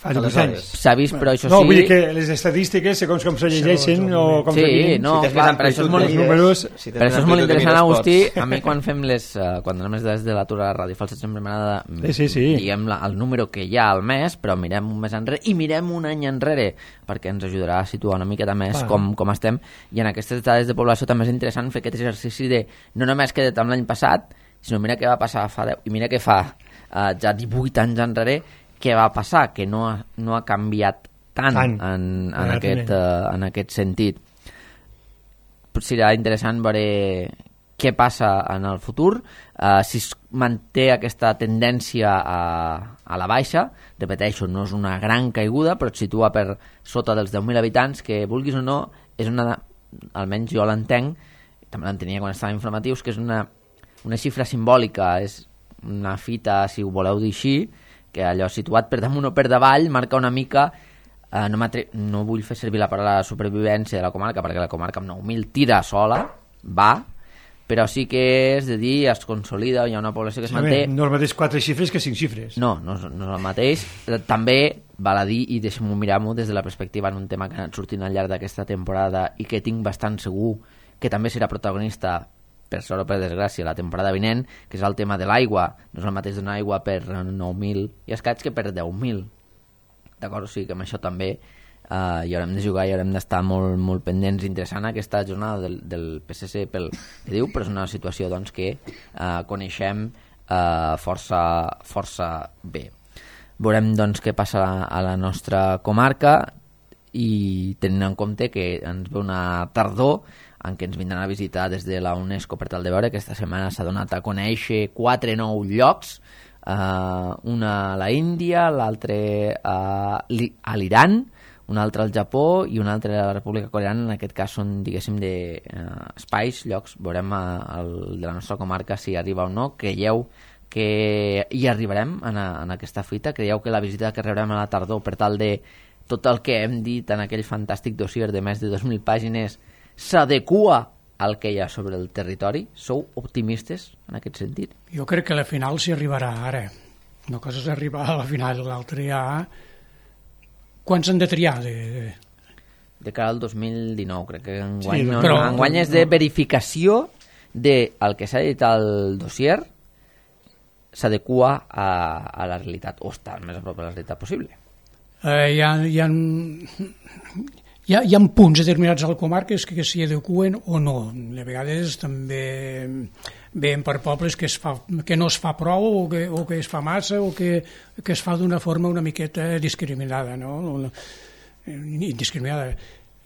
fa divuit anys. S'ha vist, però això no, sí... No, vull dir que les estadístiques, segons com se llegeixen o com sí, se miren... no, si clar, per això és molt, números, si per això és molt interessant, Agustí. A mi quan fem les... Uh, quan anem des de l'atur a la ràdio Falset sempre m'agrada sí, sí, sí. diguem la, el número que hi ha al mes, però mirem un mes enrere i mirem un any enrere, perquè ens ajudarà a situar una miqueta més com, com estem. I en aquestes dades de població també és interessant fer aquest exercici de no només queda't amb l'any passat, sinó mira què va passar fa deu, i mira què fa uh, ja divuit anys enrere, què va passar, que no ha, no ha canviat tant, tant. En, en, aquest, uh, en aquest sentit. Serà interessant veure què passa en el futur, uh, si es manté aquesta tendència a, a la baixa, repeteixo, no és una gran caiguda, però et situa per sota dels deu mil habitants, que vulguis o no, és una... almenys jo l'entenc, també l'entenia quan estava informatius, que és una, una xifra simbòlica, és una fita, si ho voleu dir així, que allò situat per damunt o per davall marca una mica, eh, no, no vull fer servir la paraula supervivència de la comarca, perquè la comarca amb nou mil tira sola, va, però sí que és de dir, es consolida, hi ha una població que es manté... No és el mateix quatre xifres que cinc xifres. No, no, no és el mateix. També val a dir, i deixem-ho mirar-m'ho des de la perspectiva en un tema que ha anat sortint al llarg d'aquesta temporada i que tinc bastant segur que també serà protagonista, per sort o per desgràcia, la temporada vinent, que és el tema de l'aigua. No és el mateix donar aigua per nou mil i escaig que per deu mil. D'acord? O sigui que amb això també uh, hi haurem de jugar i haurem d'estar molt, molt pendents. Interessant aquesta jornada del, del P S C pel que diu, però és una situació doncs, que uh, coneixem uh, força, força bé. Veurem doncs, què passa a la nostra comarca i tenint en compte que ens ve una tardor en què ens vindran a visitar des de la UNESCO per tal de veure que aquesta setmana s'ha donat a conèixer quatre nous llocs uh, una a la Índia, l'altre a l'Iran, un altre al Japó i un altre a la República Coreana. En aquest cas són, diguéssim, de uh, espais, llocs. Veurem uh, el de la nostra comarca si arriba o no. Creieu que hi arribarem en, a, en aquesta fita? Creieu que la visita que rebrem a la tardor, per tal de tot el que hem dit en aquell fantàstic dossier de més de dos mil pàgines, s'adequa al que hi ha sobre el territori? Sou optimistes en aquest sentit? Jo crec que la final s'hi arribarà ara. Una cosa és arribar a la final, l'altra ja... Quants han de triar? De, de... de cara al dos mil dinou, crec que enguany, Sí, no, però- no, enguany és de verificació del que s'ha dit al dossier s'adequa a, a la realitat, o està el més a prop de la realitat possible. Eh, hi, ha, hi, ha, hi, ha, hi ha punts determinats a la comarca que, que s'hi adequen o no. A vegades també veiem per pobles que, es fa, que no es fa prou o que, o que es fa massa o que, que es fa d'una forma una miqueta discriminada, no? Una, indiscriminada.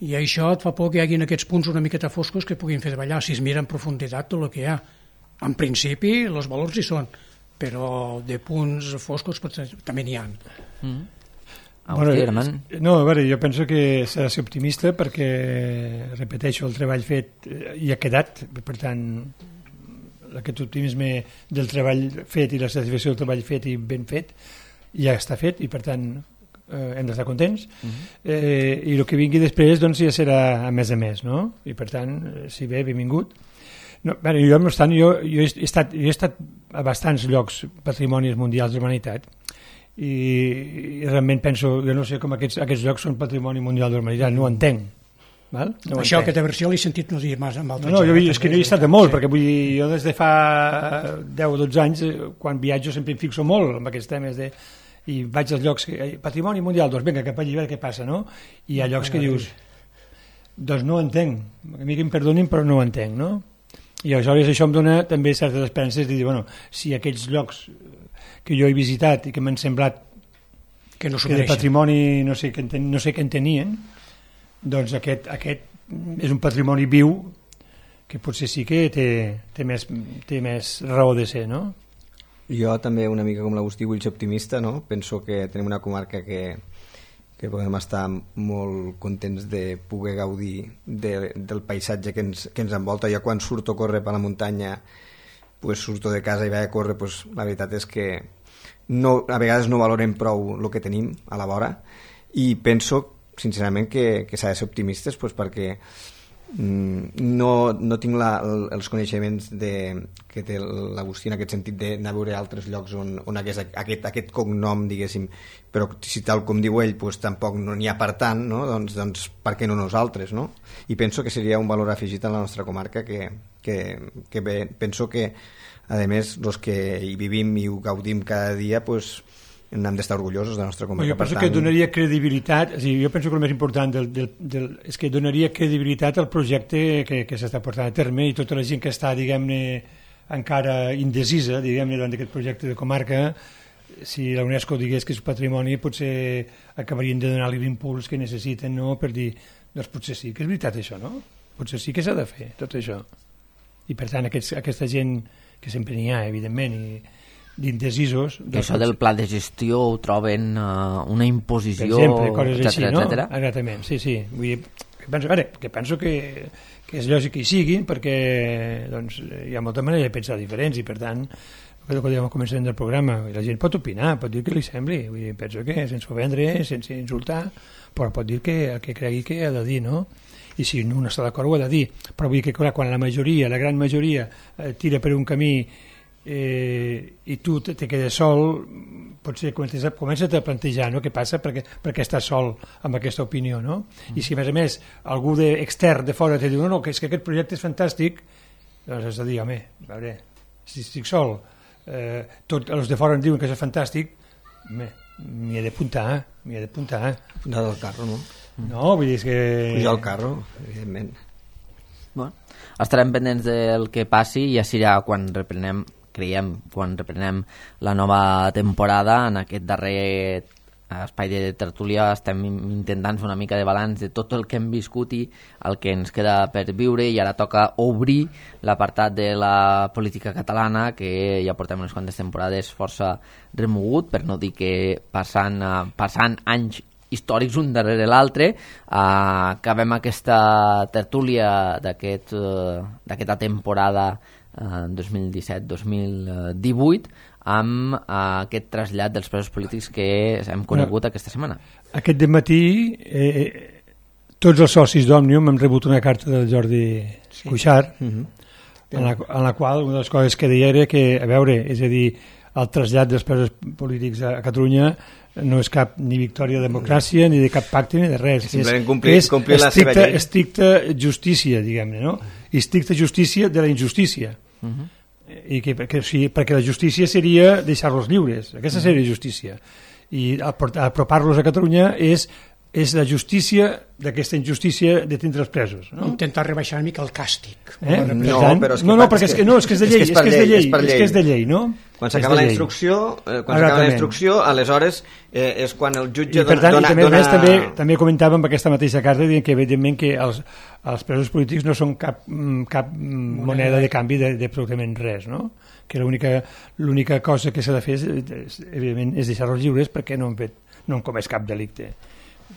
I això et fa por que hi hagi aquests punts una miqueta foscos que puguin fer davallar si es mira en profunditat tot el que hi ha. En principi, els valors hi són, però de punts foscos també n'hi ha. Mm. Bueno, Agustí, Herman? no, a veure, jo penso que s'ha de ser optimista perquè, repeteixo, el treball fet eh, hi ha quedat, per tant aquest optimisme del treball fet i la satisfacció del treball fet i ben fet ja està fet i per tant eh, hem d'estar contents. Uh-huh. eh, i el que vingui després doncs ja serà a més a més, no? I per tant, eh, si bé, benvingut. No, bueno, jo, no obstant, jo, jo, he estat, jo he estat a bastants llocs patrimonis mundials de la humanitat i, i realment penso, jo no sé com aquests, aquests llocs són patrimoni mundial de la humanitat, no ho entenc. Val? No ho Això, entenc. aquesta versió l'he sentit no dir massa amb altra No, no, jo, gent, és que no hi he estat de molt, perquè vull dir, jo des de fa deu o dotze anys, eh, quan viatjo sempre em fixo molt en aquests temes de, i vaig als llocs, que, eh, patrimoni mundial, doncs vinga, cap allà, a veure què passa, no? I hi ha llocs que dius, doncs no ho entenc, a mi que em perdonin, però no ho entenc, no? I aleshores això em dona també certes esperances de dir, bueno, si aquells llocs que jo he visitat i que m'han semblat que no s'ho que de mereixen. patrimoni no sé què en, ten, no sé què en tenien, doncs aquest, aquest és un patrimoni viu que potser sí que té, té, més, té més raó de ser, no? Jo també, una mica com l'Agustí, vull ser optimista, no? Penso que tenim una comarca que, que podem estar molt contents de poder gaudir de, del paisatge que ens, que ens envolta. Jo quan surto a córrer per la muntanya, pues surto de casa i vaig a córrer, pues la veritat és que no, a vegades no valorem prou el que tenim a la vora i penso sincerament que, que s'ha de ser optimistes, pues, perquè mm, no, no tinc la, el, els coneixements de, que té l'Agustí en aquest sentit d'anar a veure altres llocs on, on hagués aquest, aquest cognom, diguéssim, però si tal com diu ell pues, tampoc no n'hi ha per tant, no? doncs, doncs per què no nosaltres, no? I penso que seria un valor afegit a la nostra comarca que, que, que bé, penso que a més els que hi vivim i ho gaudim cada dia pues, hem d'estar orgullosos de la nostra comarca. Jo penso per tant... que donaria credibilitat, és a dir, jo penso que el més important del, del, del, és que donaria credibilitat al projecte que, que s'està portant a terme i tota la gent que està, diguem-ne, encara indecisa, diguem-ne, davant d'aquest projecte de comarca, si la UNESCO digués que és patrimoni, potser acabarien de donar-li l'impuls que necessiten, no?, per dir, doncs potser sí que és veritat això, no? Potser sí que s'ha de fer tot això. I per tant, aquests, aquesta gent que sempre n'hi ha, evidentment, i d'indecisos... Que això del pla de gestió ho troben uh, una imposició, per exemple, coses etcètera, així, no? etcètera. Exactament, sí, sí. Vull dir, que penso, veure, que penso que, que és lògic que hi siguin perquè doncs, hi ha molta manera de pensar diferents i per tant, el que dèiem al començament del programa, la gent pot opinar, pot dir que li sembli, vull dir, penso que sense ofendre, sense insultar, però pot dir que el que cregui que ha de dir, no? I si no està d'acord ho ha de dir, però vull dir que clar, quan la majoria, la gran majoria eh, tira per un camí eh, i tu te, te quedes sol, potser comences a, comences a plantejar, no?, què passa perquè, perquè estàs sol amb aquesta opinió, no? Mm. I si a més a més algú de, extern de fora te diu no, no, que és que aquest projecte és fantàstic, doncs has de dir, home, a veure, si estic sol, eh, tots els de fora em diuen que és fantàstic, home, m'hi he d'apuntar, m'hi he d'apuntar. Apuntar del carro, no? No, vull dir és que... Pujar al carro, evidentment. Bueno, estarem pendents del que passi i ja serà quan reprenem, creiem, quan reprenem la nova temporada en aquest darrer a Espai de Tertúlia estem intentant fer una mica de balanç de tot el que hem viscut i el que ens queda per viure, i ara toca obrir l'apartat de la política catalana, que ja portem unes quantes temporades força remogut, per no dir que passant, passant anys històrics un darrere l'altre. Uh, acabem aquesta tertúlia d'aquest, uh, d'aquesta temporada uh, dos mil disset dos mil divuit amb uh, aquest trasllat dels presos polítics que hem conegut no, aquesta setmana. Aquest dematí eh, tots els socis d'Òmnium hem rebut una carta del Jordi sí. Cuixart uh-huh. en, la, en la qual una de les coses que deia era que, a veure, és a dir, el trasllat dels presos polítics a, a Catalunya no és cap ni victòria de democràcia, ni de cap pacte, ni de res. Simplement complir, és complir la estricta, seva llei. Estricta justícia, diguem-ne, no? I estricta justícia de la injustícia. Uh-huh. I que, que, sí, perquè la justícia seria deixar-los lliures. Aquesta seria justícia. I apropar-los a Catalunya és és la justícia d'aquesta injustícia de tindre els presos, no? Intentar rebaixar una mica el càstig. Eh? No, però és que, no, no, perquè és que, no, és que és de llei, és que és de llei, és que és de llei, no? Quan s'acaba la instrucció, eh, quan s'acaba la instrucció, aleshores eh, és quan el jutge I per tant, dona... I també, dona... més, també, també comentàvem aquesta mateixa carta dient que evidentment que els, els presos polítics no són cap, cap moneda de canvi d'absolutament res, no? Que l'única l'única cosa que s'ha de fer és, és, evidentment, és deixar-los lliures perquè no han, fet, no han comès cap delicte.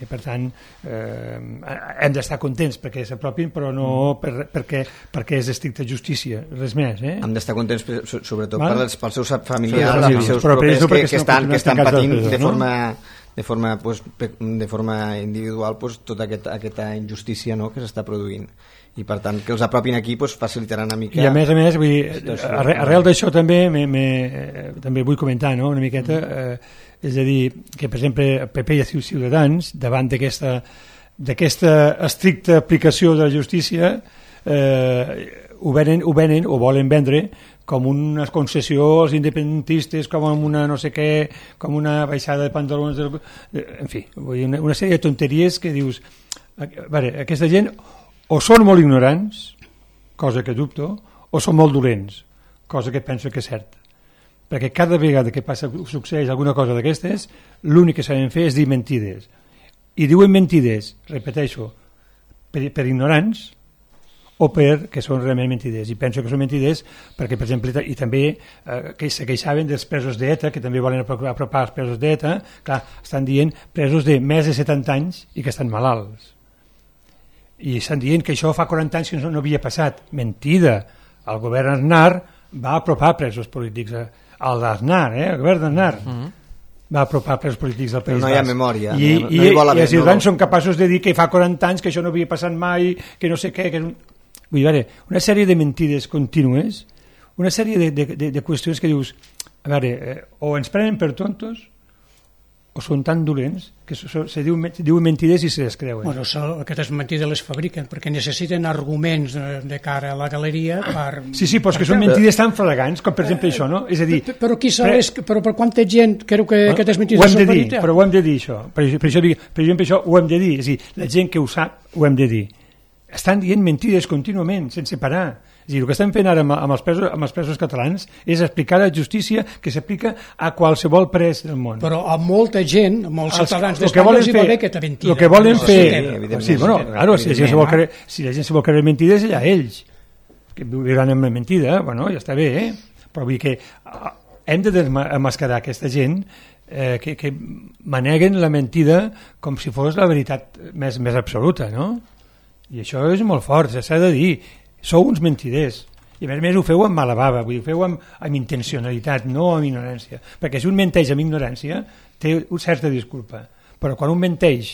I per tant eh, hem d'estar contents perquè s'apropin, però no per, perquè, perquè és estricta justícia, res més, eh? Hem d'estar contents sobretot Val? pels, pels seus familiars, sí, els seus però propers no que, que estan, que estan patint presos, de forma, no? de forma, pues, de forma individual pues, tota aquest, aquesta injustícia, no?, que s'està produint, i per tant que els apropin aquí pues, facilitarà una mica. I a més a més, vull dir, arrel, arrel d'això també me, me, també vull comentar, no?, una miqueta eh, és a dir, que per exemple P P i Ciutadans, davant d'aquesta d'aquesta estricta aplicació de la justícia, eh, ho, venen, ho venen o volen vendre com una concessió als independentistes, com una no sé què, com una baixada de pantalons, del, en fi, vull dir, una, una sèrie de tonteries que dius, a veure, aquesta gent o són molt ignorants, cosa que dubto, o són molt dolents, cosa que penso que és cert. Perquè cada vegada que passa, succeeix alguna cosa d'aquestes, l'únic que saben fer és dir mentides. I diuen mentides, repeteixo, per, per ignorants o perquè són realment mentides. I penso que són mentides perquè, per exemple, i també eh, que se queixaven dels presos d'ETA, que també volen apropar els presos d'ETA, clar, estan dient presos de més de setanta anys i que estan malalts. I estan dient que això fa quaranta anys que no, no havia passat. Mentida. El govern Aznar va apropar presos polítics a el d'Aznar, eh? El govern d'Aznar uh-huh. va apropar presos polítics al País Basc. No hi ha memòria. I, no, i, no hi vol haver, i els ciutadans no... són capaços de dir que fa quaranta anys que això no havia passat mai, que no sé què... Que... Vull dir, veure, una sèrie de mentides contínues, una sèrie de, de, de, de qüestions que dius, a veure, eh, o ens prenen per tontos o són tan dolents que se, se diu, diuen mentides i se les creuen. Bueno, so, aquestes mentides les fabriquen perquè necessiten arguments de, de cara a la galeria per... Sí, sí, però és que són mentides tan flagrants com per exemple això, no? És a dir... Però, però qui sabés, pre... però per quanta gent creu que no, aquestes mentides són veritat? Però ho hem de dir, això. Per, per, això, per exemple, això ho hem de dir. És a dir, la gent que ho sap ho hem de dir. Estan dient mentides contínuament, sense parar. És a dir, el que estem fent ara amb, amb, els presos, amb els presos catalans és explicar la justícia que s'aplica a qualsevol pres del món. Però a molta gent, a molts els, ciutadans d'Espanya els hi va bé aquesta mentida. El que volen no, fer... Sí, sí, bueno, claro, si, la gent se vol creure, si la gent se vol creure mentides, allà ells. Que viuran amb la mentida, bueno, ja està bé, eh? Però vull dir que hem de desmascarar aquesta gent eh, que, que maneguen la mentida com si fos la veritat més, més absoluta, no? I això és molt fort, s'ha de dir. Sou uns mentiders. I a més a més ho feu amb mala bava, vull dir, ho feu amb, amb intencionalitat, no amb ignorància. Perquè si un menteix amb ignorància té una certa disculpa. Però quan un menteix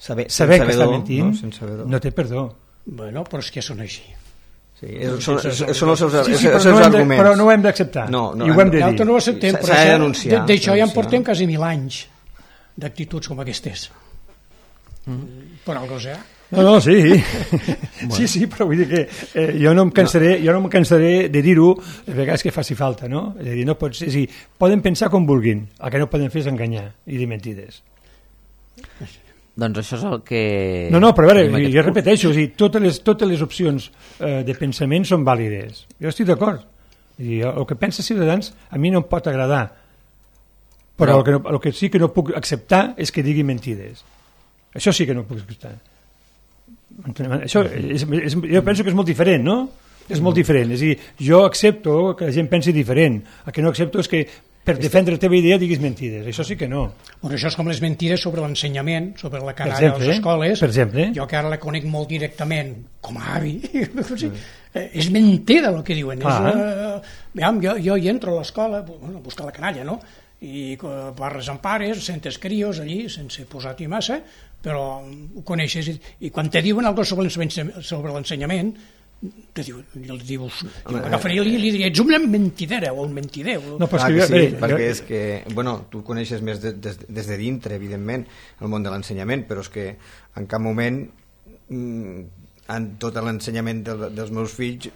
saber, saber que està mentint, no, no té perdó. Bueno, però és que són així. Sí, és, són, són els seus, sí, sí, els però, seus no arguments. De, però no ho hem d'acceptar. No, no, I ho hem de dir. No ho acceptem, però s'ha de denunciar. D'això ja en portem quasi mil anys d'actituds com aquestes. Mm. Per algo sea. No, no, sí. Bueno. Sí, sí, però vull dir que eh, jo no em cansaré, jo no em cansaré de dir-ho les vegades que faci falta, no? És a dir, no pots, és a dir, poden pensar com vulguin, el que no poden fer és enganyar i dir mentides. Doncs això és el que... No, no, però a veure, jo repeteixo, és a dir, totes les, totes les opcions eh, de pensament són vàlides. Jo estic d'acord. El que pensa Ciutadans a mi no em pot agradar, Però el que, no, el que sí que no puc acceptar és que digui mentides. Això sí que no puc acceptar. Això és, és, jo penso que és molt diferent, no? És molt diferent. És a dir, jo accepto que la gent pensi diferent. El que no accepto és que per defendre la teva idea diguis mentides. Això sí que no. Bueno, això és com les mentides sobre l'ensenyament, sobre la canalla a les escoles. Per exemple. Jo que ara la conec molt directament com a avi. És mentida el que diuen. És, uh, veiem, jo, jo hi entro a l'escola bueno, a buscar la canalla, no? I parles amb pares, sentes crios allí, sense posar-hi massa, però ho coneixes. I quan te diuen alguna cosa sobre l'ensenyament, te diuen, i els dius, jo m'agafaria i li diria, ets una mentidera o un mentider. No, però ah, que sí, bé, perquè és que, bueno, tu coneixes més de, des, des de dintre, evidentment, el món de l'ensenyament, però és que en cap moment en tot l'ensenyament del, dels meus fills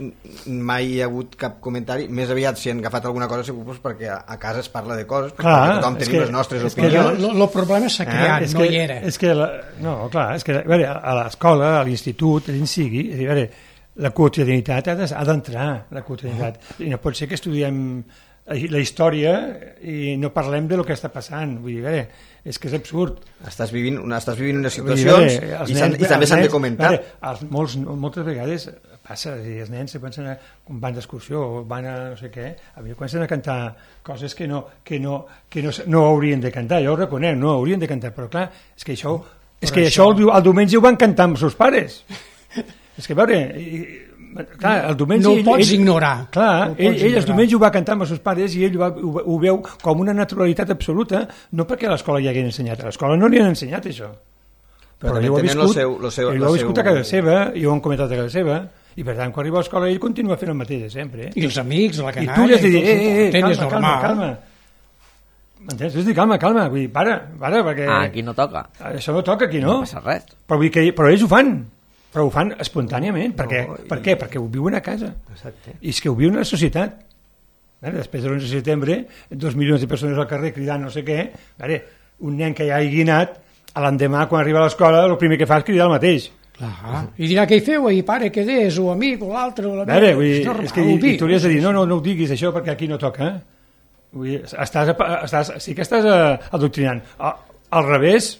mai hi ha hagut cap comentari. Més aviat si han agafat alguna cosa segur perquè a, a casa es parla de coses, perquè clar, tothom tenim que, les nostres opinions. El problema s'ha creat, eh? no que, hi era. És que la, no, clar, és que a, veure, a l'escola, a l'institut, allà sigui, a veure, la quotidianitat ha d'entrar, la quotidianitat. I no pot ser que estudiem la història i no parlem de lo que està passant. Vull dir, a veure, és que és absurd. Estàs vivint, una, estàs vivint unes situacions dir, i, nens, i també s'han de comentar. Veure, els, molts, moltes vegades passa, dir, els nens se pensen a, van d'excursió o van a no sé què, a mi comencen a cantar coses que no, que no, que no, no haurien de cantar, jo ho reconec, no haurien de cantar, però clar, és que això, és que això, això el, el diumenge ho van cantar amb els seus pares. És que, a veure, clar, el diumenge... No ho ell, pots ell, ignorar. Clar, no ell, ell el diumenge ho va cantar amb els seus pares i ell ho, va, ho, ho veu com una naturalitat absoluta, no perquè a l'escola hi haguin ensenyat. A l'escola no li han ensenyat això. Però, però ell ho ha viscut, seu, seu, ell ho ha viscut seu... a casa seva, i ho han comentat a casa seva, i per tant, quan arriba a l'escola ell continua fent el mateix de sempre. I els amics, la canalla... I tu li has de dir, eh, eh, eh, calma, calma, calma. M'entens? Has de dir, calma, calma, vull dir, para, para, perquè... Ah, aquí no toca. Això no toca, aquí no. No passa res. Però, vull dir, però ells ho fan. Però ho fan espontàniament. Per què? No, i... Per què? Perquè ho viuen a casa. Exacte. I és que ho viuen a la societat. Veure, després de l'onze de setembre, dos milions de persones al carrer cridant no sé què, veure, un nen que ja hagi anat, l'endemà, quan arriba a l'escola, el primer que fa és cridar el mateix. Clar. I dirà què hi feu ahir, pare, que és, o amic, o l'altre, o la veure, vull dir, és, és que i, i tu li has de dir, no, no, no ho diguis això perquè aquí no toca. Vull dir, estàs, estàs, sí que estàs adoctrinant. Al revés,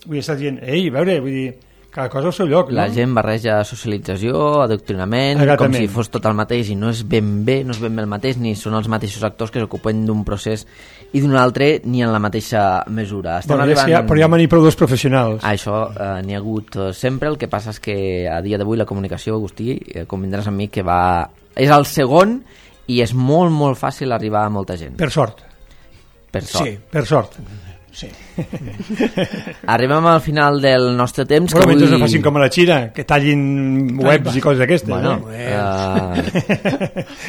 vull dir, estàs dient, ei, a veure, vull dir, cada cosa al seu lloc, la no? gent barreja socialització, adoctrinament, Exactament. Com si fos tot el mateix i no és ben bé, no és ben bé el mateix, ni són els mateixos actors que s'ocupen d'un procés i d'un altre ni en la mateixa mesura. Estem bueno, arribant... ja, però hi ha manir prou dos professionals. Ah, això eh, n'hi ha hagut sempre, el que passa és que a dia d'avui la comunicació, Agustí, eh, convindràs amb mi que va... és el segon i és molt, molt fàcil arribar a molta gent. Per sort. Per sort. Sí, per sort. Sí. Arribem al final del nostre temps. Bueno, que mentre avui... no facin com a la Xina, que tallin webs i coses d'aquestes. Bueno, no? uh...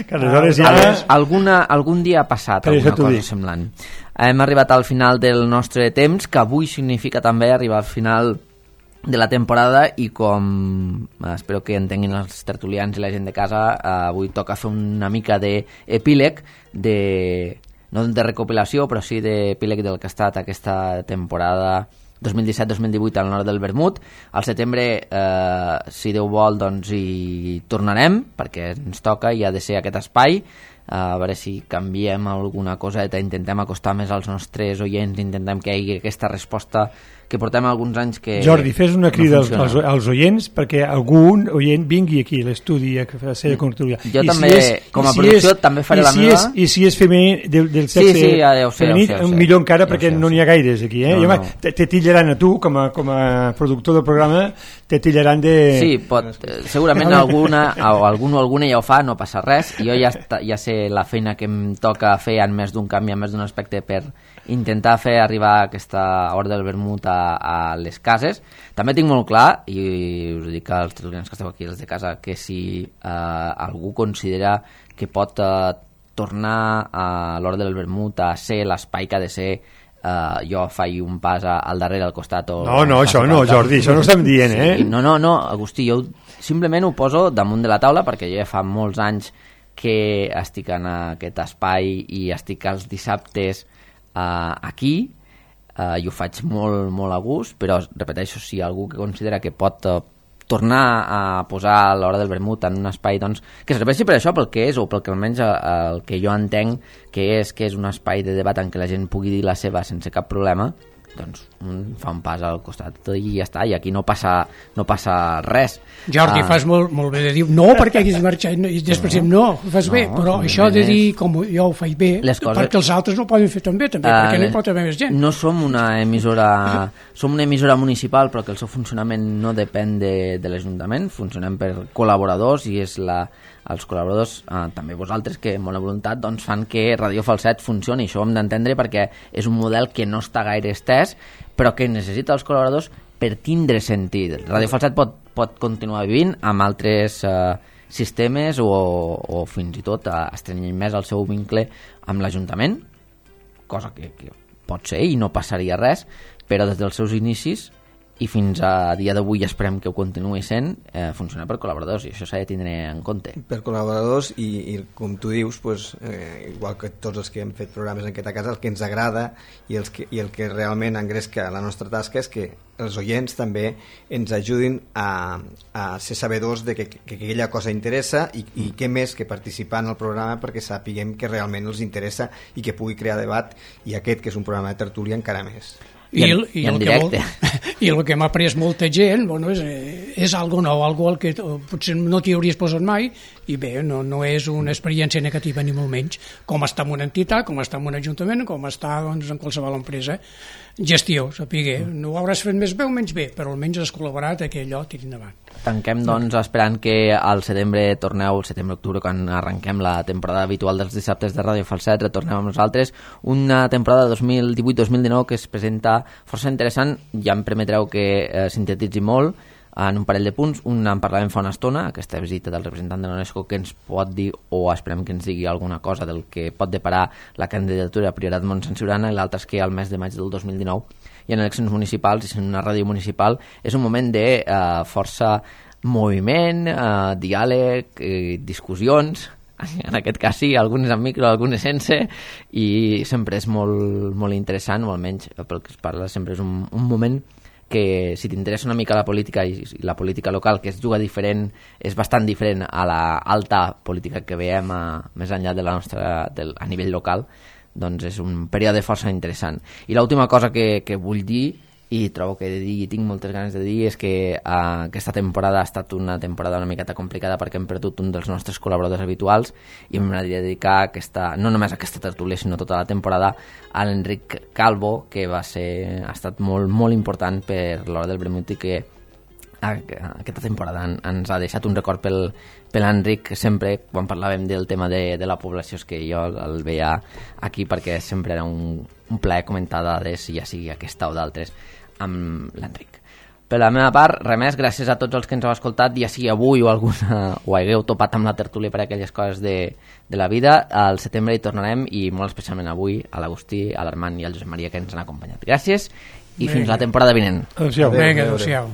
que aleshores ja... Alguna, algun dia ha passat per alguna cosa semblant. Hem arribat al final del nostre temps, que avui significa també arribar al final de la temporada i com espero que entenguin els tertulians i la gent de casa, avui toca fer una mica d'epíleg de... no de recopilació, però sí d'epíleg del que ha estat aquesta temporada dos mil disset dos mil divuit al nord del Vermut. Al setembre, eh, si Déu vol, doncs hi tornarem, perquè ens toca i ha de ser aquest espai. Eh, a veure si canviem alguna coseta, intentem acostar més als nostres oients, intentem que hi hagi aquesta resposta que portem alguns anys que Jordi, fes una crida no als, als oients perquè algun oient vingui aquí a l'estudi a fer la seva contertúlia. Jo I també, si és, com a producció, si és, també faré la si meva. És, I si és femení, del, del sexe sí, sí, ja, ja sé, femení, ja sé, ja sé. millor encara ja perquè sé, ja no n'hi ha gaires aquí. Eh? No, I, home, no. te, te tillaran a tu, com a, com a productor del programa, te tillaran de... Sí, pot, segurament alguna, o algun o alguna ja ho fa, no passa res. Jo ja, ja sé la feina que em toca fer en més d'un canvi, en més d'un aspecte per intentar fer arribar aquesta hora del vermut a, a les cases. També tinc molt clar, i us dic als tertulians que esteu aquí, els de casa, que si eh, algú considera que pot eh, tornar a l'hora del vermut a ser l'espai que ha de ser, eh, jo faig un pas a, al darrere, al costat o... No, no, això no, Jordi, això no estem dient, eh? Sí, no, no, no, Agustí, jo simplement ho poso damunt de la taula perquè jo ja fa molts anys que estic en aquest espai i estic els dissabtes Uh, aquí uh, i ho faig molt, molt a gust, però repeteixo, si algú que considera que pot uh, tornar a posar l'hora del vermut en un espai doncs, que serveixi per això, pel que és, o pel que almenys el que jo entenc que és que és un espai de debat en què la gent pugui dir la seva sense cap problema, doncs un fa un pas al costat i ja està, i aquí no passa, no passa res. Jordi, uh, fas molt, molt bé de dir no perquè haguis marxat, i després no, no ho fas no, bé, però això de dir com jo ho faig bé, coses... perquè els altres no ho poden fer tan bé també, uh, perquè no hi pot haver més gent. No som una emissora som una emissora municipal, però que el seu funcionament no depèn de, de l'Ajuntament, funcionem per col·laboradors i és la els col·laboradors, eh, també vosaltres, que amb bona voluntat doncs, fan que Radio Falset funcioni. Això ho hem d'entendre perquè és un model que no està gaire estès, però que necessita els col·laboradors per tindre sentit. Radio Falset pot, pot continuar vivint amb altres eh, sistemes o, o fins i tot eh, estrenyir més el seu vincle amb l'Ajuntament, cosa que, que pot ser i no passaria res, però des dels seus inicis i fins a dia d'avui esperem que ho continuï sent, eh, funciona per col·laboradors i això s'ha de tindre en compte. Per col·laboradors i, i com tu dius, pues, eh, igual que tots els que hem fet programes en aquesta casa, el que ens agrada i, els que, i el que realment engresca la nostra tasca és que els oients també ens ajudin a, a ser sabedors de que, que, que aquella cosa interessa i, i què més que participar en el programa perquè sapiguem que realment els interessa i que pugui crear debat, i aquest que és un programa de tertúlia encara més. I, el, i, el que molt, i el que m'ha après molta gent, bueno, és, és algo nou, algo al que potser no t'hi hauries posat mai, i bé, no, no és una experiència negativa ni molt menys, com està en una entitat, com està en un ajuntament, com està doncs, en qualsevol empresa. Gestió, sapigué, no ho hauràs fet més bé o menys bé, però almenys has col·laborat a que allò tiri endavant. Tanquem doncs esperant que al setembre torneu, al setembre-octubre, quan arrenquem la temporada habitual dels dissabtes de Ràdio Falset, retornem amb nosaltres, una temporada dos mil divuit dos mil dinou que es presenta força interessant. Ja em permetreu que eh, sintetitzi molt en un parell de punts. Un en parlàvem fa una estona, aquesta visita del representant de l'UNESCO, que ens pot dir, o esperem que ens digui alguna cosa del que pot deparar la candidatura a Priorat Montsant Siurana, i l'altre és que al mes de maig del dos mil dinou hi ha eleccions municipals, i en una ràdio municipal és un moment de eh, força moviment, eh, diàleg, eh, discussions, en aquest cas sí, algunes amb micro, algunes sense, i sempre és molt, molt interessant, o almenys pel que es parla sempre és un, un moment que si t'interessa una mica la política i la política local, que es juga diferent, és bastant diferent a la alta política que veiem a, més enllà de la nostra, del, a nivell local, doncs és un període força interessant. I l'última cosa que, que vull dir, i trobo que he de dir, i tinc moltes ganes de dir, és que uh, aquesta temporada ha estat una temporada una miqueta complicada perquè hem perdut un dels nostres col·laboradors habituals i m'agradaria dedicar aquesta, no només aquesta tertúlia sinó tota la temporada a l'Enric Calvo, que va ser, ha estat molt, molt important per l'hora del vermut i que aquesta temporada ens ha deixat un record pel, per l'Enric. Sempre quan parlàvem del tema de, de la població és que jo el veia aquí perquè sempre era un, un plaer comentar dades, ja sigui aquesta o d'altres, amb l'Enric. Per la meva part, res més, gràcies a tots els que ens heu escoltat, ja sigui avui o alguna, o hagueu topat amb la tertúlia per aquelles coses de, de la vida. Al setembre hi tornarem, i molt especialment avui a l'Agustí, a l'Armand i al Josep Maria, que ens han acompanyat. Gràcies i Venga. Fins la temporada vinent. Adéu-siau. Vinga, adéu-siau.